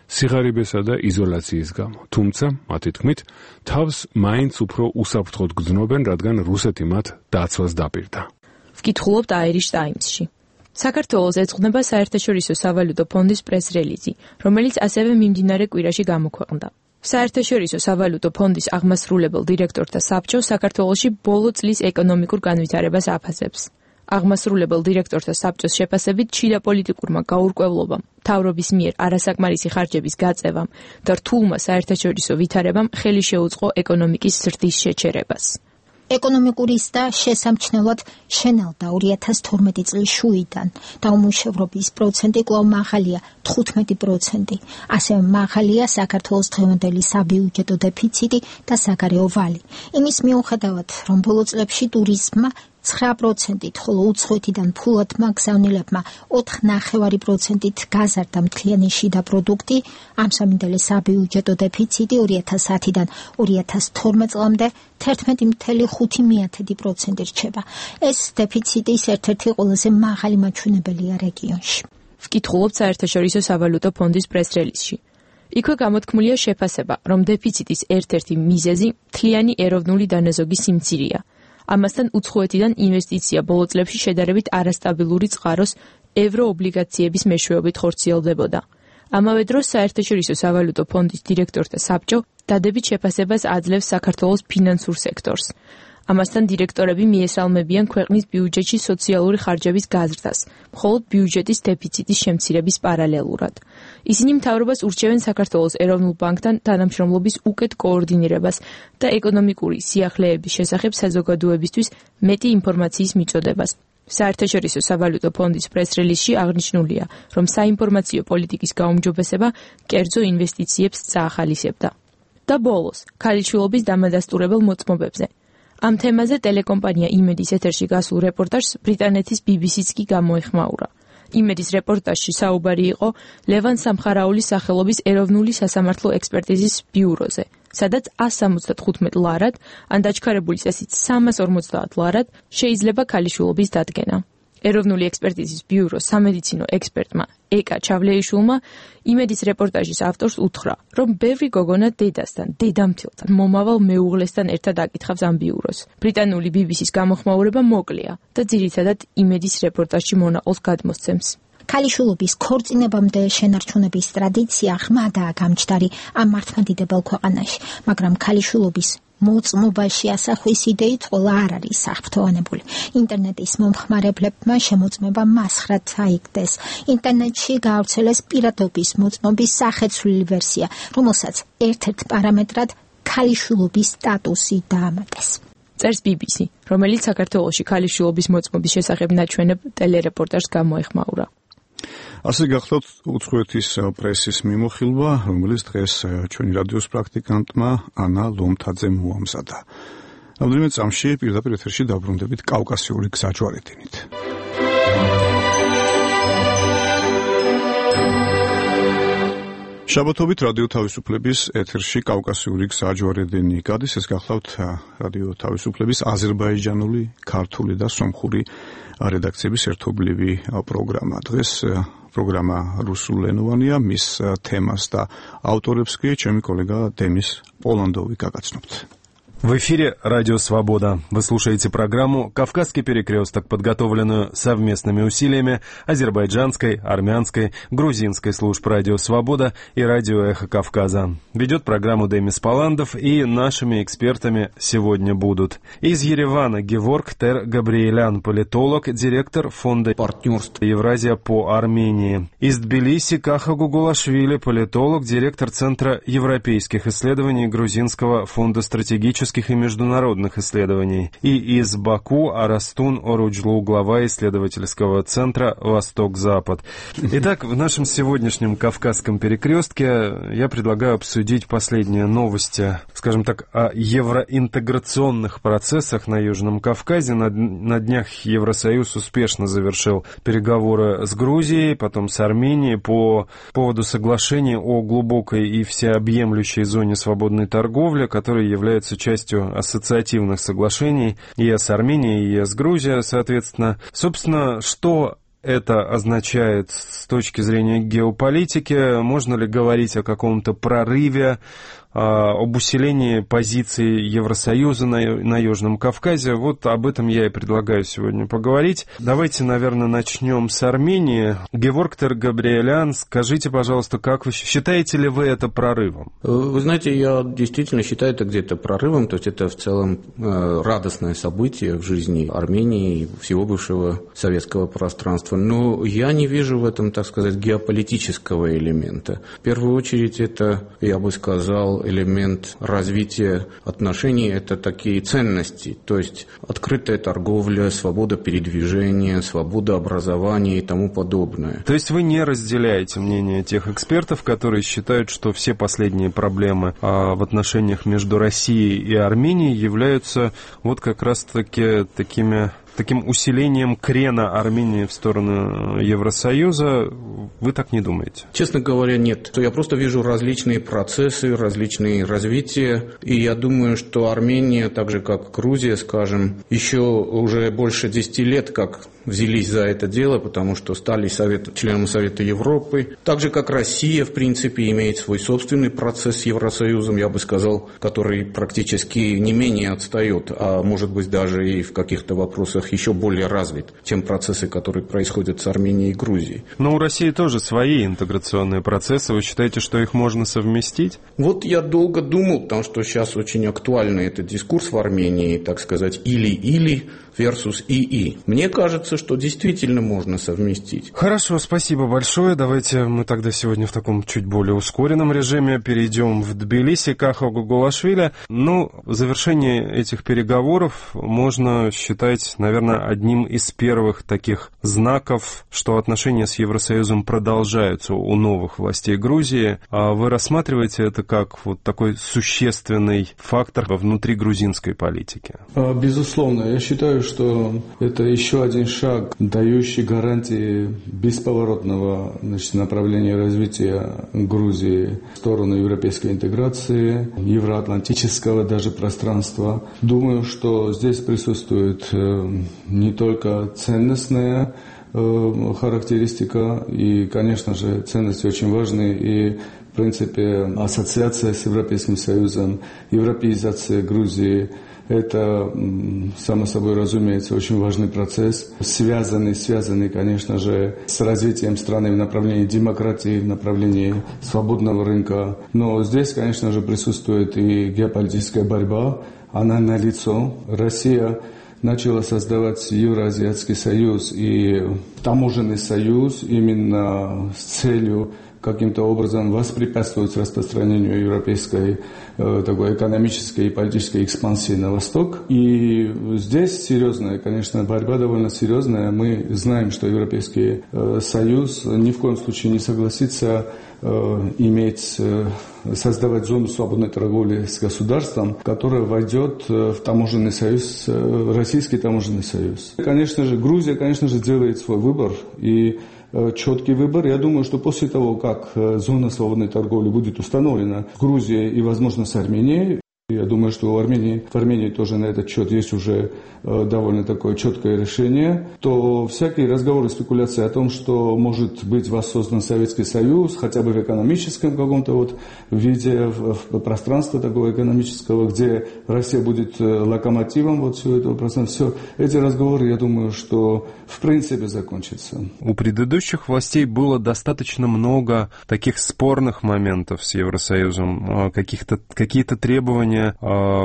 სიღარიბესა და იზოლაციის გამო. თუმცა, მათი თქმით, თავს მაინც უფრო უსაფრთხოდ გრძნობენ, რადგან რუსეთი მათ დაცვას დაპირდა. ვკითხულობთ Irish Times-ში. საქართველოს ეძღვნება საერთაშორისო სავალუტო ფონდის პრეს-რელიზი, რომელიც ასევე მიმდინარე კვირაში გამოქვეყნდა. საერთაშორისო სავალუტო ფონდის აღმასრულებელ დირექტორთა საბჭო საქართველოში ბოლო წლის ეკონომიკურ განვითარებას აფასებს. აღმასრულებელ დირექტორთა საბჭოს შეფასებით შიდა პოლიტიკურმა გაურკვევლობამ, მთავრობის მიერ არასაკმარისი ხარჯების გაწევამ და რთულმა საერთაშორისო ვითარებამ ხელი შეუწყო ეკონომიკის ზრდის შეჩერებას. ეკონომიკური ზრდა შესამჩნევად შენელდა 2012 წლის შუიდან და უმუშევრობის პროცენტი კვლავ მაღალია 15%. ასევე მაღალია საქართველოს დღევანდელი საბიუჯეტო დეფიციტი და საგარეო ვალი. იმის მიუხედავად, რომ ბოლო წლებში ტურიზმმა 9%-ით, ხოლო უცხოეთიდან ფულადმა გზავნილებმა 4.9%-ით გაზარდა მთლიანი შიდა პროდუქტი, ამსამინდელი საბიუჯეტო დეფიციტი 2010-დან 2012 წლამდე 11.5% რჩება. ეს დეფიციტის ერთ-ერთი ყველაზე მაღალი მაჩვენებელია რეგიონში. ვკითხულობთ საერთაშორისო სავალუტო ფონდის პრეს-რელიზში. იქვე გამოთქმულია შეფასება, რომ დეფიციტის ერთ-ერთი მიზეზი მთლიანი ეროვნული დანაზოგი სიმცირეა. ამასთან უცხოეთიდან ინვესტიცია ბოლო წლებში შედარებით არასტაბილური წყაროს ევროობლიგაციების მეშვეობით ხორციელდებოდა. ამავე დროს საერთაშორისო სავალუტო ფონდის დირექტორთა საბჭო დადებით შეფასებას აძლევს საქართველოს ფინანსურ სექტორს. ამასთან დირექტორები მიესალმებიან ქვეყნის ბიუჯეტში სოციალური ხარჯების გაზრდას, მხოლოდ ბიუჯეტის დეფიციტის შემცირების პარალელურად. ისინი მთავრობას ურჩევენ საქართველოს ეროვნულ ბანკთან თანამშრომლობის უკეთ კოორდინირებას და ეკონომიკური სიახლეების შესახებ საზოგადოებისთვის მეტი ინფორმაციის მიწოდებას. საერთაშორისო სავალუტო ფონდის პრეს-რელიზში აღნიშნულია, რომ საინფორმაციო პოლიტიკის გაუმჯობესება კერძო ინვესტიციებს წაახალისებდა. და ბოლოს, ქალიშვილობის დამადასტურებელ მოწმობებზე. ამ თემაზე ტელეკომპანია იმედის ეთერში გასულ რეპორტაჟს ბრიტანეთის BBC-ს კი გამოეხმაურა. იმედის რეპორტაჟში საუბარი იყო ლევან სამხარაულის სახელობის ეროვნული სასამართლო ექსპერტიზის ბიუროზე, სადაც 175 ლარად, ან დაჩქარებული წესით 350 ლარად შეიძლება ქალიშვილობის დადგენა. ეროვნული ექსპერტიზის ბიუროს სამედიცინო ექსპერტმა ეკა ჩავლეიშვილმა იმედის რეპორტაჟის ავტორს უთხრა, რომ ბევრი გოგონა დედასთან, დედამთილთან, მომავალ მეუღლესთან ერთად აკითხავს ამ ბიუროს. ბრიტანული BBC-ს გამოხმაურება მოკლეა და ძირითადად იმედის რეპორტაჟში მონაყოლს გადმოსცემს. ქალიშვილობის ქორწინებამდე შენარჩუნების ტრადიცია ღრმადაა გამჩდარი ამ მართლმადიდებელ ქვეყანაში, მაგრამ ქალიშვილობის მოწმობაში ასახვის იდეით ყველა არ არის საფრთხოვანებული. ინტერნეტის მომხმარებლებმა შემოწმება მასხრად აიგდეს. ინტერნეტში გაავრცელეს პირადობის მოწმობის სახეცვლილი ვერსია, რომელსაც ერთ-ერთ პარამეტრად ქალიშვილობის სტატუსი დაამატეს. წერს BBC, რომელიც საქართველოში ქალიშვილობის მოწმობის შესახებ ნაჩვენებ ტელერეპორტაჟს გამოეხმაურა. ასე გახლავთ უცხოეთის პრესის მიმოხილვა, რომელიც დღეს ჩვენი რადიოს პრაქტიკანტმა ანა ლომთაძემ მოამზადა. რამდენიმე წამში პირდაპირ ეთერში დაბრუნდებით კავკასიური გზაჯვარედინით. შაბათობით რადიო თავისუფლების ეთერში კავკასიური გზაჯვარედინი გადის. ეს გახლავთ რადიო თავისუფლების აზერბაიჯანული, ქართული და სომხური რედაქციების ერთობლივი პროგრამა. დღეს პროგრამა რუსულენოვანია, მის თემას და ავტორებს კი ჩემი კოლეგა დენის პოლანდოვი გაგაცნობთ. В эфире «Радио Свобода». Вы слушаете программу «Кавказский перекресток», подготовленную совместными усилиями азербайджанской, армянской, грузинской служб «Радио Свобода» и «Радио Эхо Кавказа». Ведет программу Демис Паландов, и нашими экспертами сегодня будут из Еревана Геворг Тер-Габриэлян, политолог, директор фонда партнерства Евразия по Армении. Из Тбилиси Каха Гугулашвили, политолог, директор Центра европейских исследований Грузинского фонда стратегических и международных исследований. И из Баку Арастун Оруджлу, глава исследовательского центра «Восток-Запад». Итак, в нашем сегодняшнем Кавказском перекрестке я предлагаю обсудить последние новости, скажем так, о евроинтеграционных процессах на Южном Кавказе. На днях Евросоюз успешно завершил переговоры с Грузией, потом с Арменией по поводу соглашения о глубокой и всеобъемлющей зоне свободной торговли, которая является частью ассоциативных соглашений и с Арменией, и с Грузией, соответственно. Собственно, что это означает с точки зрения геополитики? Можно ли говорить о каком-то прорыве, об усилении позиций Евросоюза на Южном Кавказе? Вот об этом я и предлагаю сегодня поговорить. Давайте, наверное, начнем с Армении. Геворг Тер-Габриэлян, скажите, пожалуйста, как вы считаете ли вы это прорывом? Вы знаете, я действительно считаю это где-то прорывом, то есть это в целом радостное событие в жизни Армении и всего бывшего советского пространства. Но я не вижу в этом, так сказать, геополитического элемента. В первую очередь это, я бы сказал, элемент развития отношений – это такие ценности, то есть открытая торговля, свобода передвижения, свобода образования и тому подобное. То есть вы не разделяете мнение тех экспертов, которые считают, что все последние проблемы в отношениях между Россией и Арменией являются вот как раз-таки таким усилением крена Армении в сторону Евросоюза? Вы так не думаете? Честно говоря, нет. Я просто вижу различные процессы, различные развития. И я думаю, что Армения, так же как Грузия, скажем, еще уже больше 10 лет как взялись за это дело, потому что стали членом Совета Европы. Так же, как Россия, в принципе, имеет свой собственный процесс с Евросоюзом, я бы сказал, который практически не менее отстает, а может быть даже и в каких-то вопросах еще более развит, чем процессы, которые происходят с Арменией и Грузией. Но у России тоже свои интеграционные процессы. Вы считаете, что их можно совместить? Вот я долго думал, потому что сейчас очень актуальный этот дискурс в Армении, так сказать, или-или versus ИИ. Мне кажется, что действительно можно совместить. Хорошо, спасибо большое. Давайте мы тогда сегодня в таком чуть более ускоренном режиме перейдем в Тбилиси, Каха Гугулашвили. Завершение этих переговоров можно считать, наверное, одним из первых таких знаков, что отношения с Евросоюзом продолжаются у новых властей Грузии. А вы рассматриваете это как вот такой существенный фактор внутри грузинской политики? Безусловно, я считаю, что это еще один шаг, дающий гарантии бесповоротного направления развития Грузии в сторону европейской интеграции, евроатлантического даже пространства. Думаю, что здесь присутствует не только ценностная характеристика, и, конечно же, ценности очень важны, и в принципе ассоциация с Европейским Союзом, европеизация Грузии – это, само собой разумеется, очень важный процесс, связанный, конечно же, с развитием страны в направлении демократии, в направлении свободного рынка. Но здесь, конечно же, присутствует и геополитическая борьба, она налицо. Россия начала создавать Евразиатский союз и таможенный союз именно с целью каким-то образом воспрепятствовать распространению европейской такой экономической и политической экспансии на восток. И здесь серьезная, конечно, борьба довольно серьезная. Мы знаем, что Европейский Союз ни в коем случае не согласится создавать зону свободной торговли с государством, которое войдет в таможенный союз, Российский таможенный союз. Конечно же, Грузия, конечно же, делает свой выбор, и четкий выбор. Я думаю, что после того, как зона свободной торговли будет установлена в Грузии и, возможно, с Арменией, я думаю, что в Армении тоже на этот счет есть уже довольно такое четкое решение, то всякие разговоры, спекуляции о том, что может быть воссоздан Советский Союз, хотя бы в экономическом каком-то виде, в пространстве такого экономического, где Россия будет локомотивом всего этого пространства, все эти разговоры, я думаю, что в принципе закончатся. У предыдущих властей было достаточно много таких спорных моментов с Евросоюзом, какие-то требования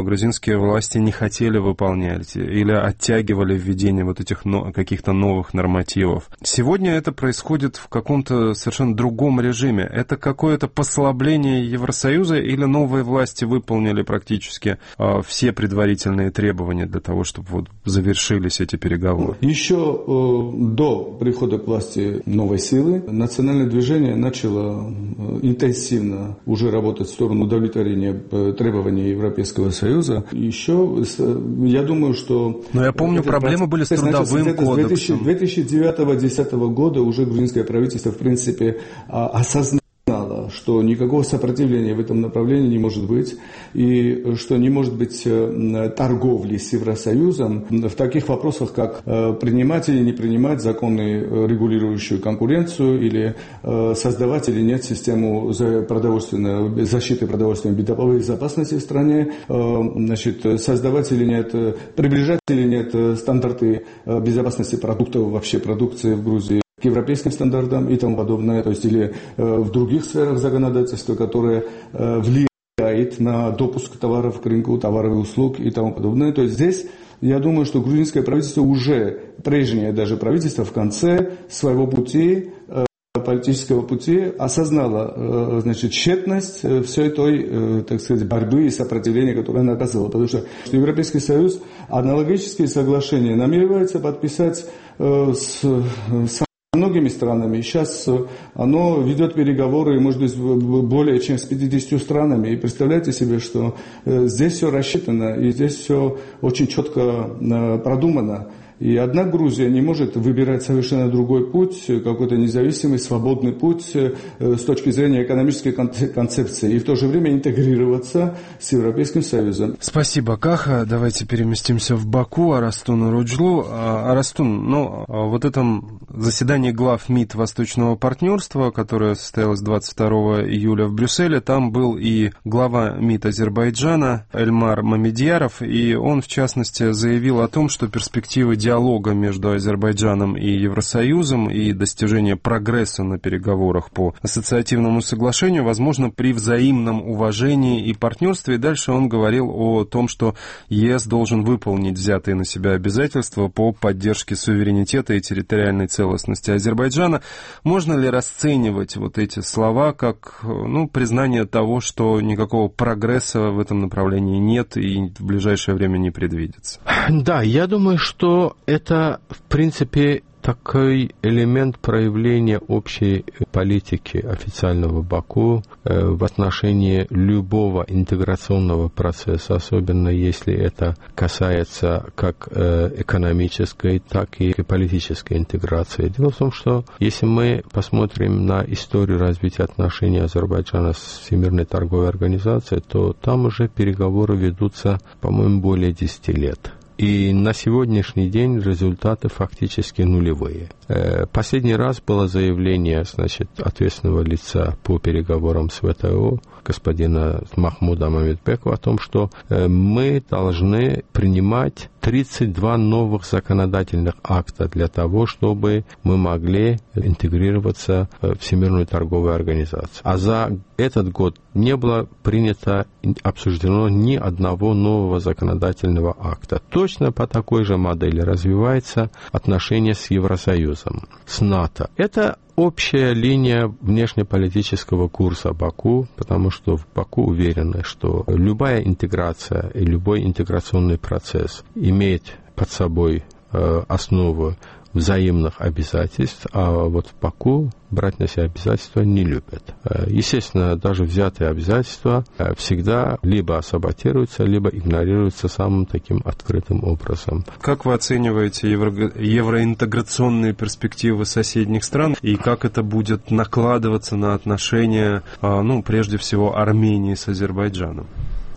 грузинские власти не хотели выполнять или оттягивали введение этих каких-то новых нормативов. Сегодня это происходит в каком-то совершенно другом режиме. Это какое-то послабление Евросоюза или новые власти выполнили практически все предварительные требования для того, чтобы завершились эти переговоры? Еще до прихода к власти новой силы национальное движение начало интенсивно уже работать в сторону удовлетворения требований Европейского Союза. Еще, я думаю, что... Но я помню, проблемы были с трудовым кодексом. С 2009-2010 года уже грузинское правительство, в принципе, осознало, что никакого сопротивления в этом направлении не может быть, и что не может быть торговли с Евросоюзом в таких вопросах, как принимать или не принимать законы, регулирующую конкуренцию, или создавать или нет систему защиты продовольственной безопасности в стране, создавать или нет, приближать или нет стандарты безопасности продуктов, вообще продукции в Грузии к европейским стандартам и тому подобное, то есть или в других сферах законодательства, которые влияют на допуск товаров к рынку, товаров и услуг и тому подобное. То есть здесь я думаю, что грузинское правительство уже, прежнее даже правительство, в конце своего пути, политического пути осознало, тщетность всей той, так сказать, борьбы и сопротивления, которое она оказывала. Потому что Европейский Союз аналогические соглашения намеревается подписать с многими странами. Сейчас оно ведет переговоры, может быть, более чем с 50 странами. И представляете себе, что здесь все рассчитано, и здесь все очень четко продумано. И одна Грузия не может выбирать совершенно другой путь, какой-то независимый, свободный путь с точки зрения экономической концепции, и в то же время интегрироваться с Европейским Союзом. Спасибо, Каха. Давайте переместимся в Баку, Арастун Руджлу. Арастун, вот этом заседании глав МИД Восточного партнерства, которое состоялось 22 июля в Брюсселе, там был и глава МИД Азербайджана Эльмар Мамедьяров, и он, в частности, заявил о том, что перспективы диалога между Азербайджаном и Евросоюзом и достижение прогресса на переговорах по ассоциативному соглашению возможно при взаимном уважении и партнерстве. И дальше он говорил о том, что ЕС должен выполнить взятые на себя обязательства по поддержке суверенитета и территориальной целостности Азербайджана. Можно ли расценивать эти слова как признание того, что никакого прогресса в этом направлении нет и в ближайшее время не предвидится? Да, я думаю, что это, в принципе, такой элемент проявления общей политики официального Баку в отношении любого интеграционного процесса, особенно если это касается как экономической, так и политической интеграции. Дело в том, что если мы посмотрим на историю развития отношений Азербайджана с Всемирной торговой организацией, то там уже переговоры ведутся, по-моему, более 10 лет. И на сегодняшний день результаты фактически нулевые. Последний раз было заявление, ответственного лица по переговорам с ВТО, господина Махмуда Мамедбекова, о том, что мы должны принимать 32 новых законодательных акта для того, чтобы мы могли интегрироваться в Всемирную торговую организацию. А за этот год не было принято, обсуждено ни одного нового законодательного акта. Точно по такой же модели развивается отношения с Евросоюзом, с НАТО. Это общая линия внешнеполитического курса Баку, потому что в Баку уверены, что любая интеграция и любой интеграционный процесс имеет под собой основу взаимных обязательств, а вот в Баку брать на себя обязательства не любят. Естественно, даже взятые обязательства всегда либо саботируются, либо игнорируются самым таким открытым образом. Как вы оцениваете евроинтеграционные перспективы соседних стран и как это будет накладываться на отношения, прежде всего, Армении с Азербайджаном?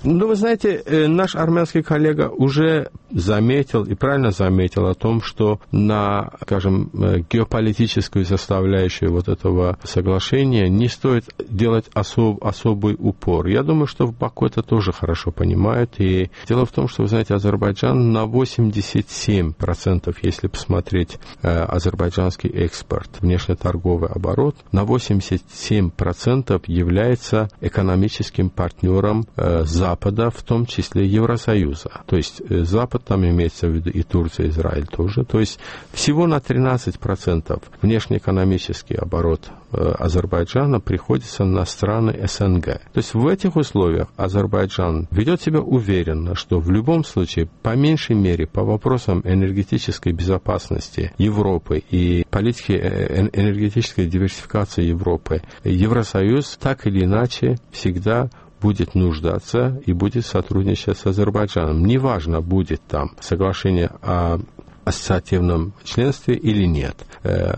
Вы знаете, наш армянский коллега уже заметил и правильно заметил о том, что на, скажем, геополитическую составляющую вот этого соглашения не стоит делать особый упор. Я думаю, что в Баку это тоже хорошо понимают. И дело в том, что, вы знаете, Азербайджан на 87%, если посмотреть азербайджанский экспорт, внешнеторговый оборот, на 87% является экономическим партнером Запада, в том числе Евросоюза. То есть Запад, там имеется в виду и Турция, и Израиль тоже. То есть всего на 13% внешнеэкономический оборот Азербайджана приходится на страны СНГ. То есть в этих условиях Азербайджан ведет себя уверенно, что в любом случае, по меньшей мере, по вопросам энергетической безопасности Европы и политики энергетической диверсификации Европы, Евросоюз так или иначе всегда будет нуждаться и будет сотрудничать с Азербайджаном. Неважно, будет там соглашение о ассоциативном членстве или нет.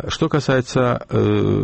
Что касается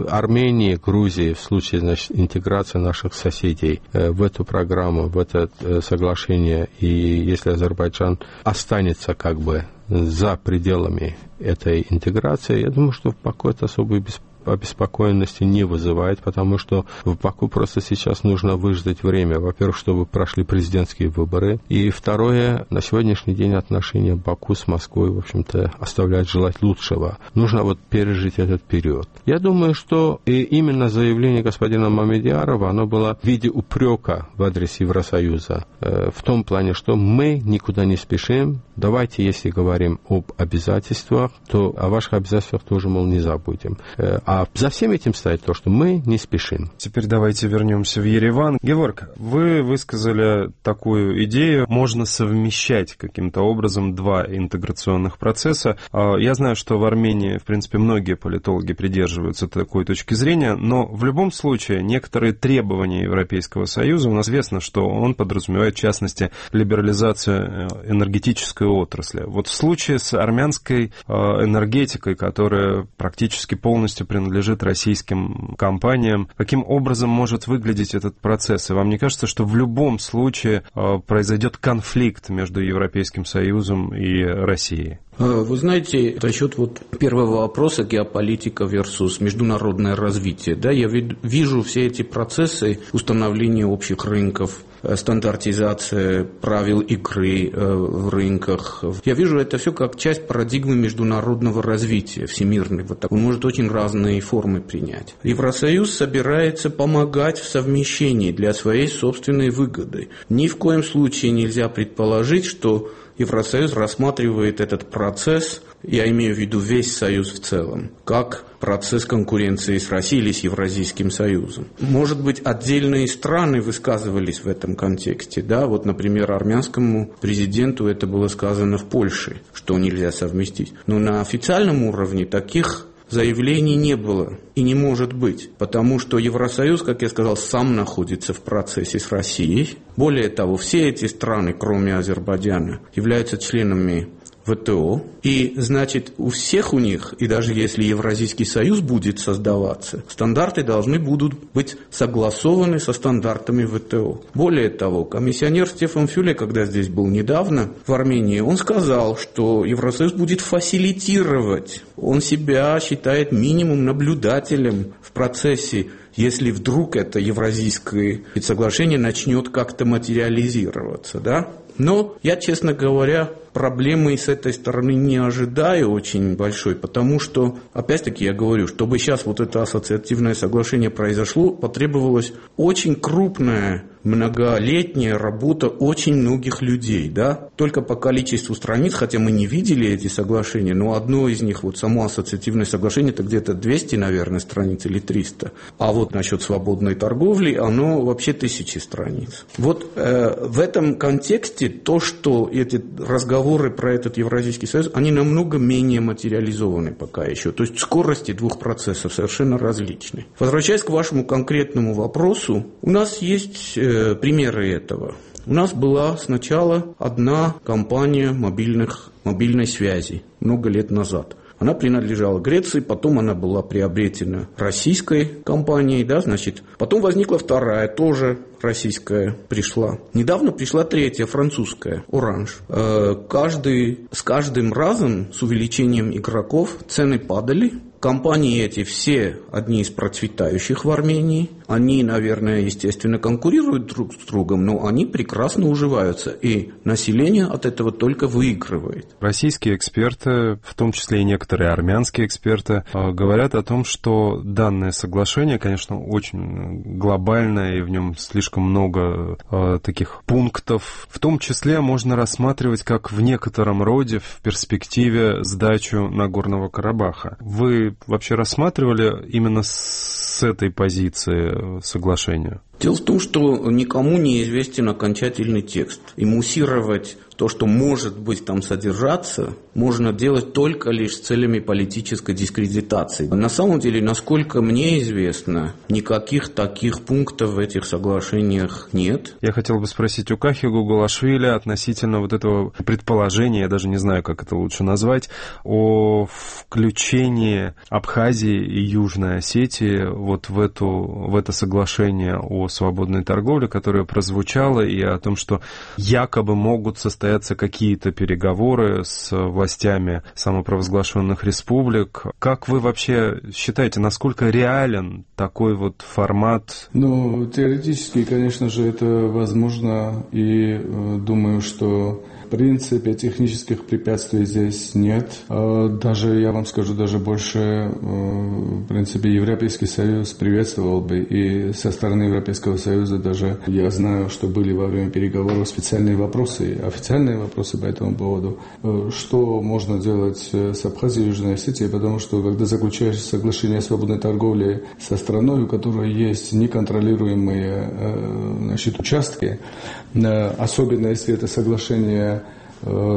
Армении, Грузии, в случае, значит, интеграции наших соседей в эту программу, в это соглашение, и если Азербайджан останется как бы за пределами этой интеграции, я думаю, что в Баку это особой обеспокоенности не вызывает, потому что в Баку просто сейчас нужно выждать время. Во-первых, чтобы прошли президентские выборы. И второе, на сегодняшний день отношения Баку с Москвой, в общем-то, оставляют желать лучшего. Нужно вот пережить этот период. Я думаю, что именно заявление господина Мамедьярова, оно было в виде упрека в адрес Евросоюза. В том плане, что мы никуда не спешим. Давайте, если говорим об обязательствах, то о ваших обязательствах тоже, мол, не забудем. А за всем этим стоит то, что мы не спешим. Теперь давайте вернемся в Ереван. Геворг, вы высказали такую идею, можно совмещать каким-то образом два интеграционных процесса. Я знаю, что в Армении, в принципе, многие политологи придерживаются такой точки зрения, но в любом случае некоторые требования Европейского Союза, у нас известно, что он подразумевает, в частности, либерализацию энергетической отрасли. Вот в случае с армянской энергетикой, которая практически полностью принадлежит российским компаниям, каким образом может выглядеть этот процесс? И вам не кажется, что в любом случае произойдет конфликт между Европейским Союзом и Россией? Вы знаете, насчет первого вопроса, геополитика versus международное развитие, да, я вижу все эти процессы установления общих рынков, стандартизация правил игры в рынках. Я вижу это все как часть парадигмы международного развития, всемирной. Он может очень разные формы принять. Евросоюз собирается помогать в совмещении для своей собственной выгоды. Ни в коем случае нельзя предположить, что Евросоюз рассматривает этот процесс, я имею в виду весь Союз в целом, как процесс конкуренции с Россией или с Евразийским Союзом. Может быть, отдельные страны высказывались в этом контексте. Да? Вот, например, армянскому президенту это было сказано в Польше, что нельзя совместить. Но на официальном уровне таких заявлений не было и не может быть, потому что Евросоюз, как я сказал, сам находится в процессе с Россией. Более того, все эти страны, кроме Азербайджана, являются членами ВТО, и, значит, у всех у них, и даже если Евразийский союз будет создаваться, стандарты должны будут быть согласованы со стандартами ВТО. Более того, комиссионер Стефан Фюле, когда здесь был недавно в Армении, он сказал, что Евросоюз будет фасилитировать, он себя считает минимум наблюдателем в процессе, если вдруг это Евразийское соглашение начнет как-то материализироваться, да? Но я, честно говоря, проблемы с этой стороны не ожидаю очень большой, потому что, опять-таки, я говорю, чтобы сейчас вот это ассоциативное соглашение произошло, потребовалось очень крупное многолетняя работа очень многих людей, да, только по количеству страниц, хотя мы не видели эти соглашения, но одно из них, вот само ассоциативное соглашение, это где-то 200, наверное, страниц или 300, а вот насчет свободной торговли, оно вообще 1000 страниц. Вот в этом контексте то, что эти разговоры про этот Евразийский союз, они намного менее материализованы пока еще, то есть скорости двух процессов совершенно различны. Возвращаясь к вашему конкретному вопросу, у нас есть примеры этого. У нас была сначала одна компания мобильной связи много лет назад. Она принадлежала Греции, потом она была приобретена российской компанией, да, значит. Потом возникла вторая, тоже российская пришла. Недавно пришла третья, французская, Оранж. С каждым разом с увеличением игроков цены падали. Компании эти все одни из процветающих в Армении. Они, наверное, естественно, конкурируют друг с другом, но они прекрасно уживаются, и население от этого только выигрывает. Российские эксперты, в том числе и некоторые армянские эксперты, говорят о том, что данное соглашение, конечно, очень глобальное, и в нем слишком много таких пунктов. В том числе можно рассматривать как в некотором роде в перспективе сдачу Нагорного Карабаха. Вы вообще рассматривали именно с этой позиции соглашения? Дело в том, что никому не известен окончательный текст. И муссировать то, что может быть там содержаться, можно делать только лишь с целями политической дискредитации. На самом деле, насколько мне известно, никаких таких пунктов в этих соглашениях нет. Я хотел бы спросить у Кахи Гугулашвили относительно вот этого предположения, я даже не знаю, как это лучше назвать, о включении Абхазии и Южной Осетии вот в это соглашение о свободной торговле, которое прозвучало, и о том, что якобы могут состояться какие-то переговоры с властями самопровозглашенных республик. Как вы вообще считаете, насколько реален такой вот формат? Ну, теоретически, конечно же, это возможно, и думаю, что в принципе технических препятствий здесь нет. Даже, я вам скажу, даже больше, в принципе, Европейский Союз приветствовал бы, и со стороны Европейского Союза даже я знаю, что были во время переговоров специальные вопросы, официальные вопросы по этому поводу, что можно делать с Абхазией и Южной Осетией, потому что когда заключаешь соглашение о свободной торговле со страной, у которой есть неконтролируемые участки, особенно если это соглашение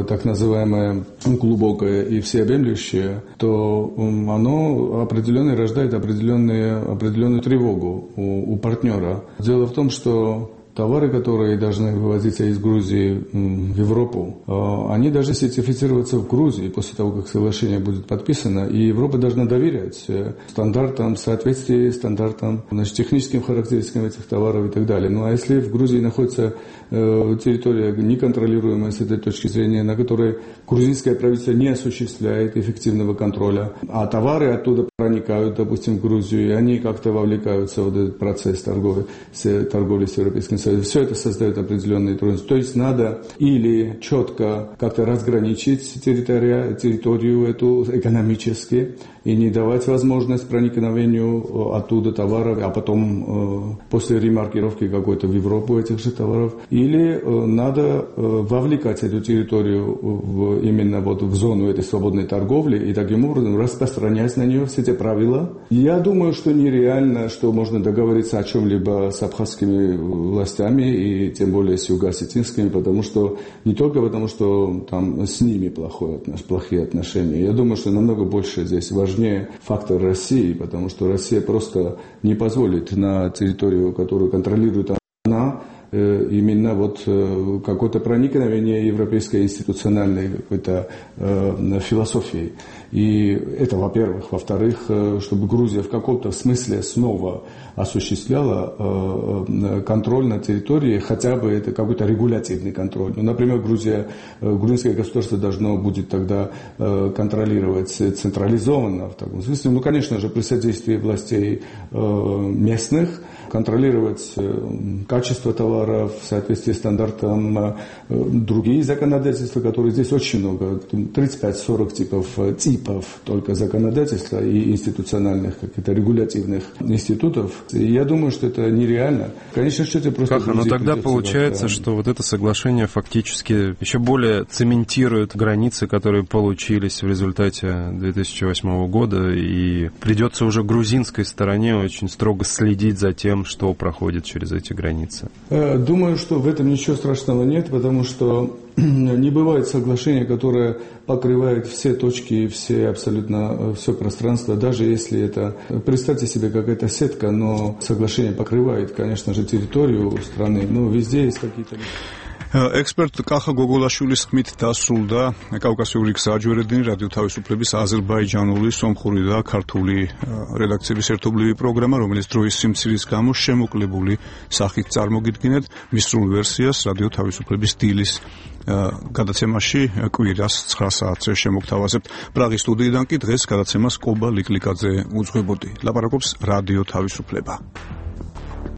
так называемое глубокое и всеобъемлющее, то оно определенно рождает определенную тревогу у партнера. Дело в том, что товары, которые должны вывозиться из Грузии в Европу, они должны сертифицироваться в Грузии после того, как соглашение будет подписано, и Европа должна доверять стандартам, соответствии стандартам, техническим характеристикам этих товаров и так далее. Ну а если в Грузии находится территория неконтролируемая с этой точки зрения, на которой грузинское правительство не осуществляет эффективного контроля, а товары оттуда проникают, допустим, в Грузию, и они как-то вовлекаются в этот процесс торговли с Европейским Союзом, все это создает определенные трудности. То есть надо или четко как-то разграничить территорию эту экономически и не давать возможность проникновению оттуда товаров, а потом после ремаркировки какой-то в Европу этих же товаров. Или надо вовлекать эту территорию именно вот в зону этой свободной торговли и таким образом распространять на нее все эти правила. Я думаю, что нереально, что можно договориться о чем-либо с абхазскими властями и тем более с юго-осетинскими, потому что не только потому, что там с ними плохие отношения. Я думаю, что намного больше здесь важнее фактор России, потому что Россия просто не позволит на территорию, которую контролирует она, именно вот какое-то проникновение европейской институциональной какой-то философии. И это, во-первых. Во-вторых, чтобы Грузия в каком-то смысле снова осуществляла контроль на территории, хотя бы это какой-то регулятивный контроль. Ну, например, грузинское государство должно будет тогда контролировать централизованно в таком смысле. Ну, конечно же, при содействии властей местных, контролировать качество товаров в соответствии с стандартам, другие законодательства, которые здесь очень много, 35-40 типов только законодательства и институциональных, каких-то регулятивных институтов. И я думаю, что это нереально. Конечно, что это просто... Но тогда получается, что вот это соглашение фактически еще более цементирует границы, которые получились в результате 2008 года, и придется уже грузинской стороне очень строго следить за тем, что проходит через эти границы. Думаю, что в этом ничего страшного нет, потому что не бывает соглашения, которое покрывает все точки, абсолютно все пространство, даже если это, представьте себе, какая-то сетка, но соглашение покрывает, конечно же, территорию страны, но везде есть какие-то... Эксперт Каха გოგოლაშვილის ხმით დასრულდა კავკასიური გზაჯვარედინი რადიო თავისუფლების აზერბაიჯანული, სომხური და ქართული რედაქციების ერთობლივი პროგრამა, რომელიც დროის სიმცირის გამო შემოკლებული სახით წარმოგიდგინეთ მის სრულ ვერსიას რადიო თავისუფლების დილის გადაცემაში კვირას 9 საათზე შემოგთავაზებთ. პრაღის სტუდიიდან კი დღეს გადაცემას კობა ლიკლიკაძე უძღვებოდი. ლაპარაკობს რადიო თავისუფლება.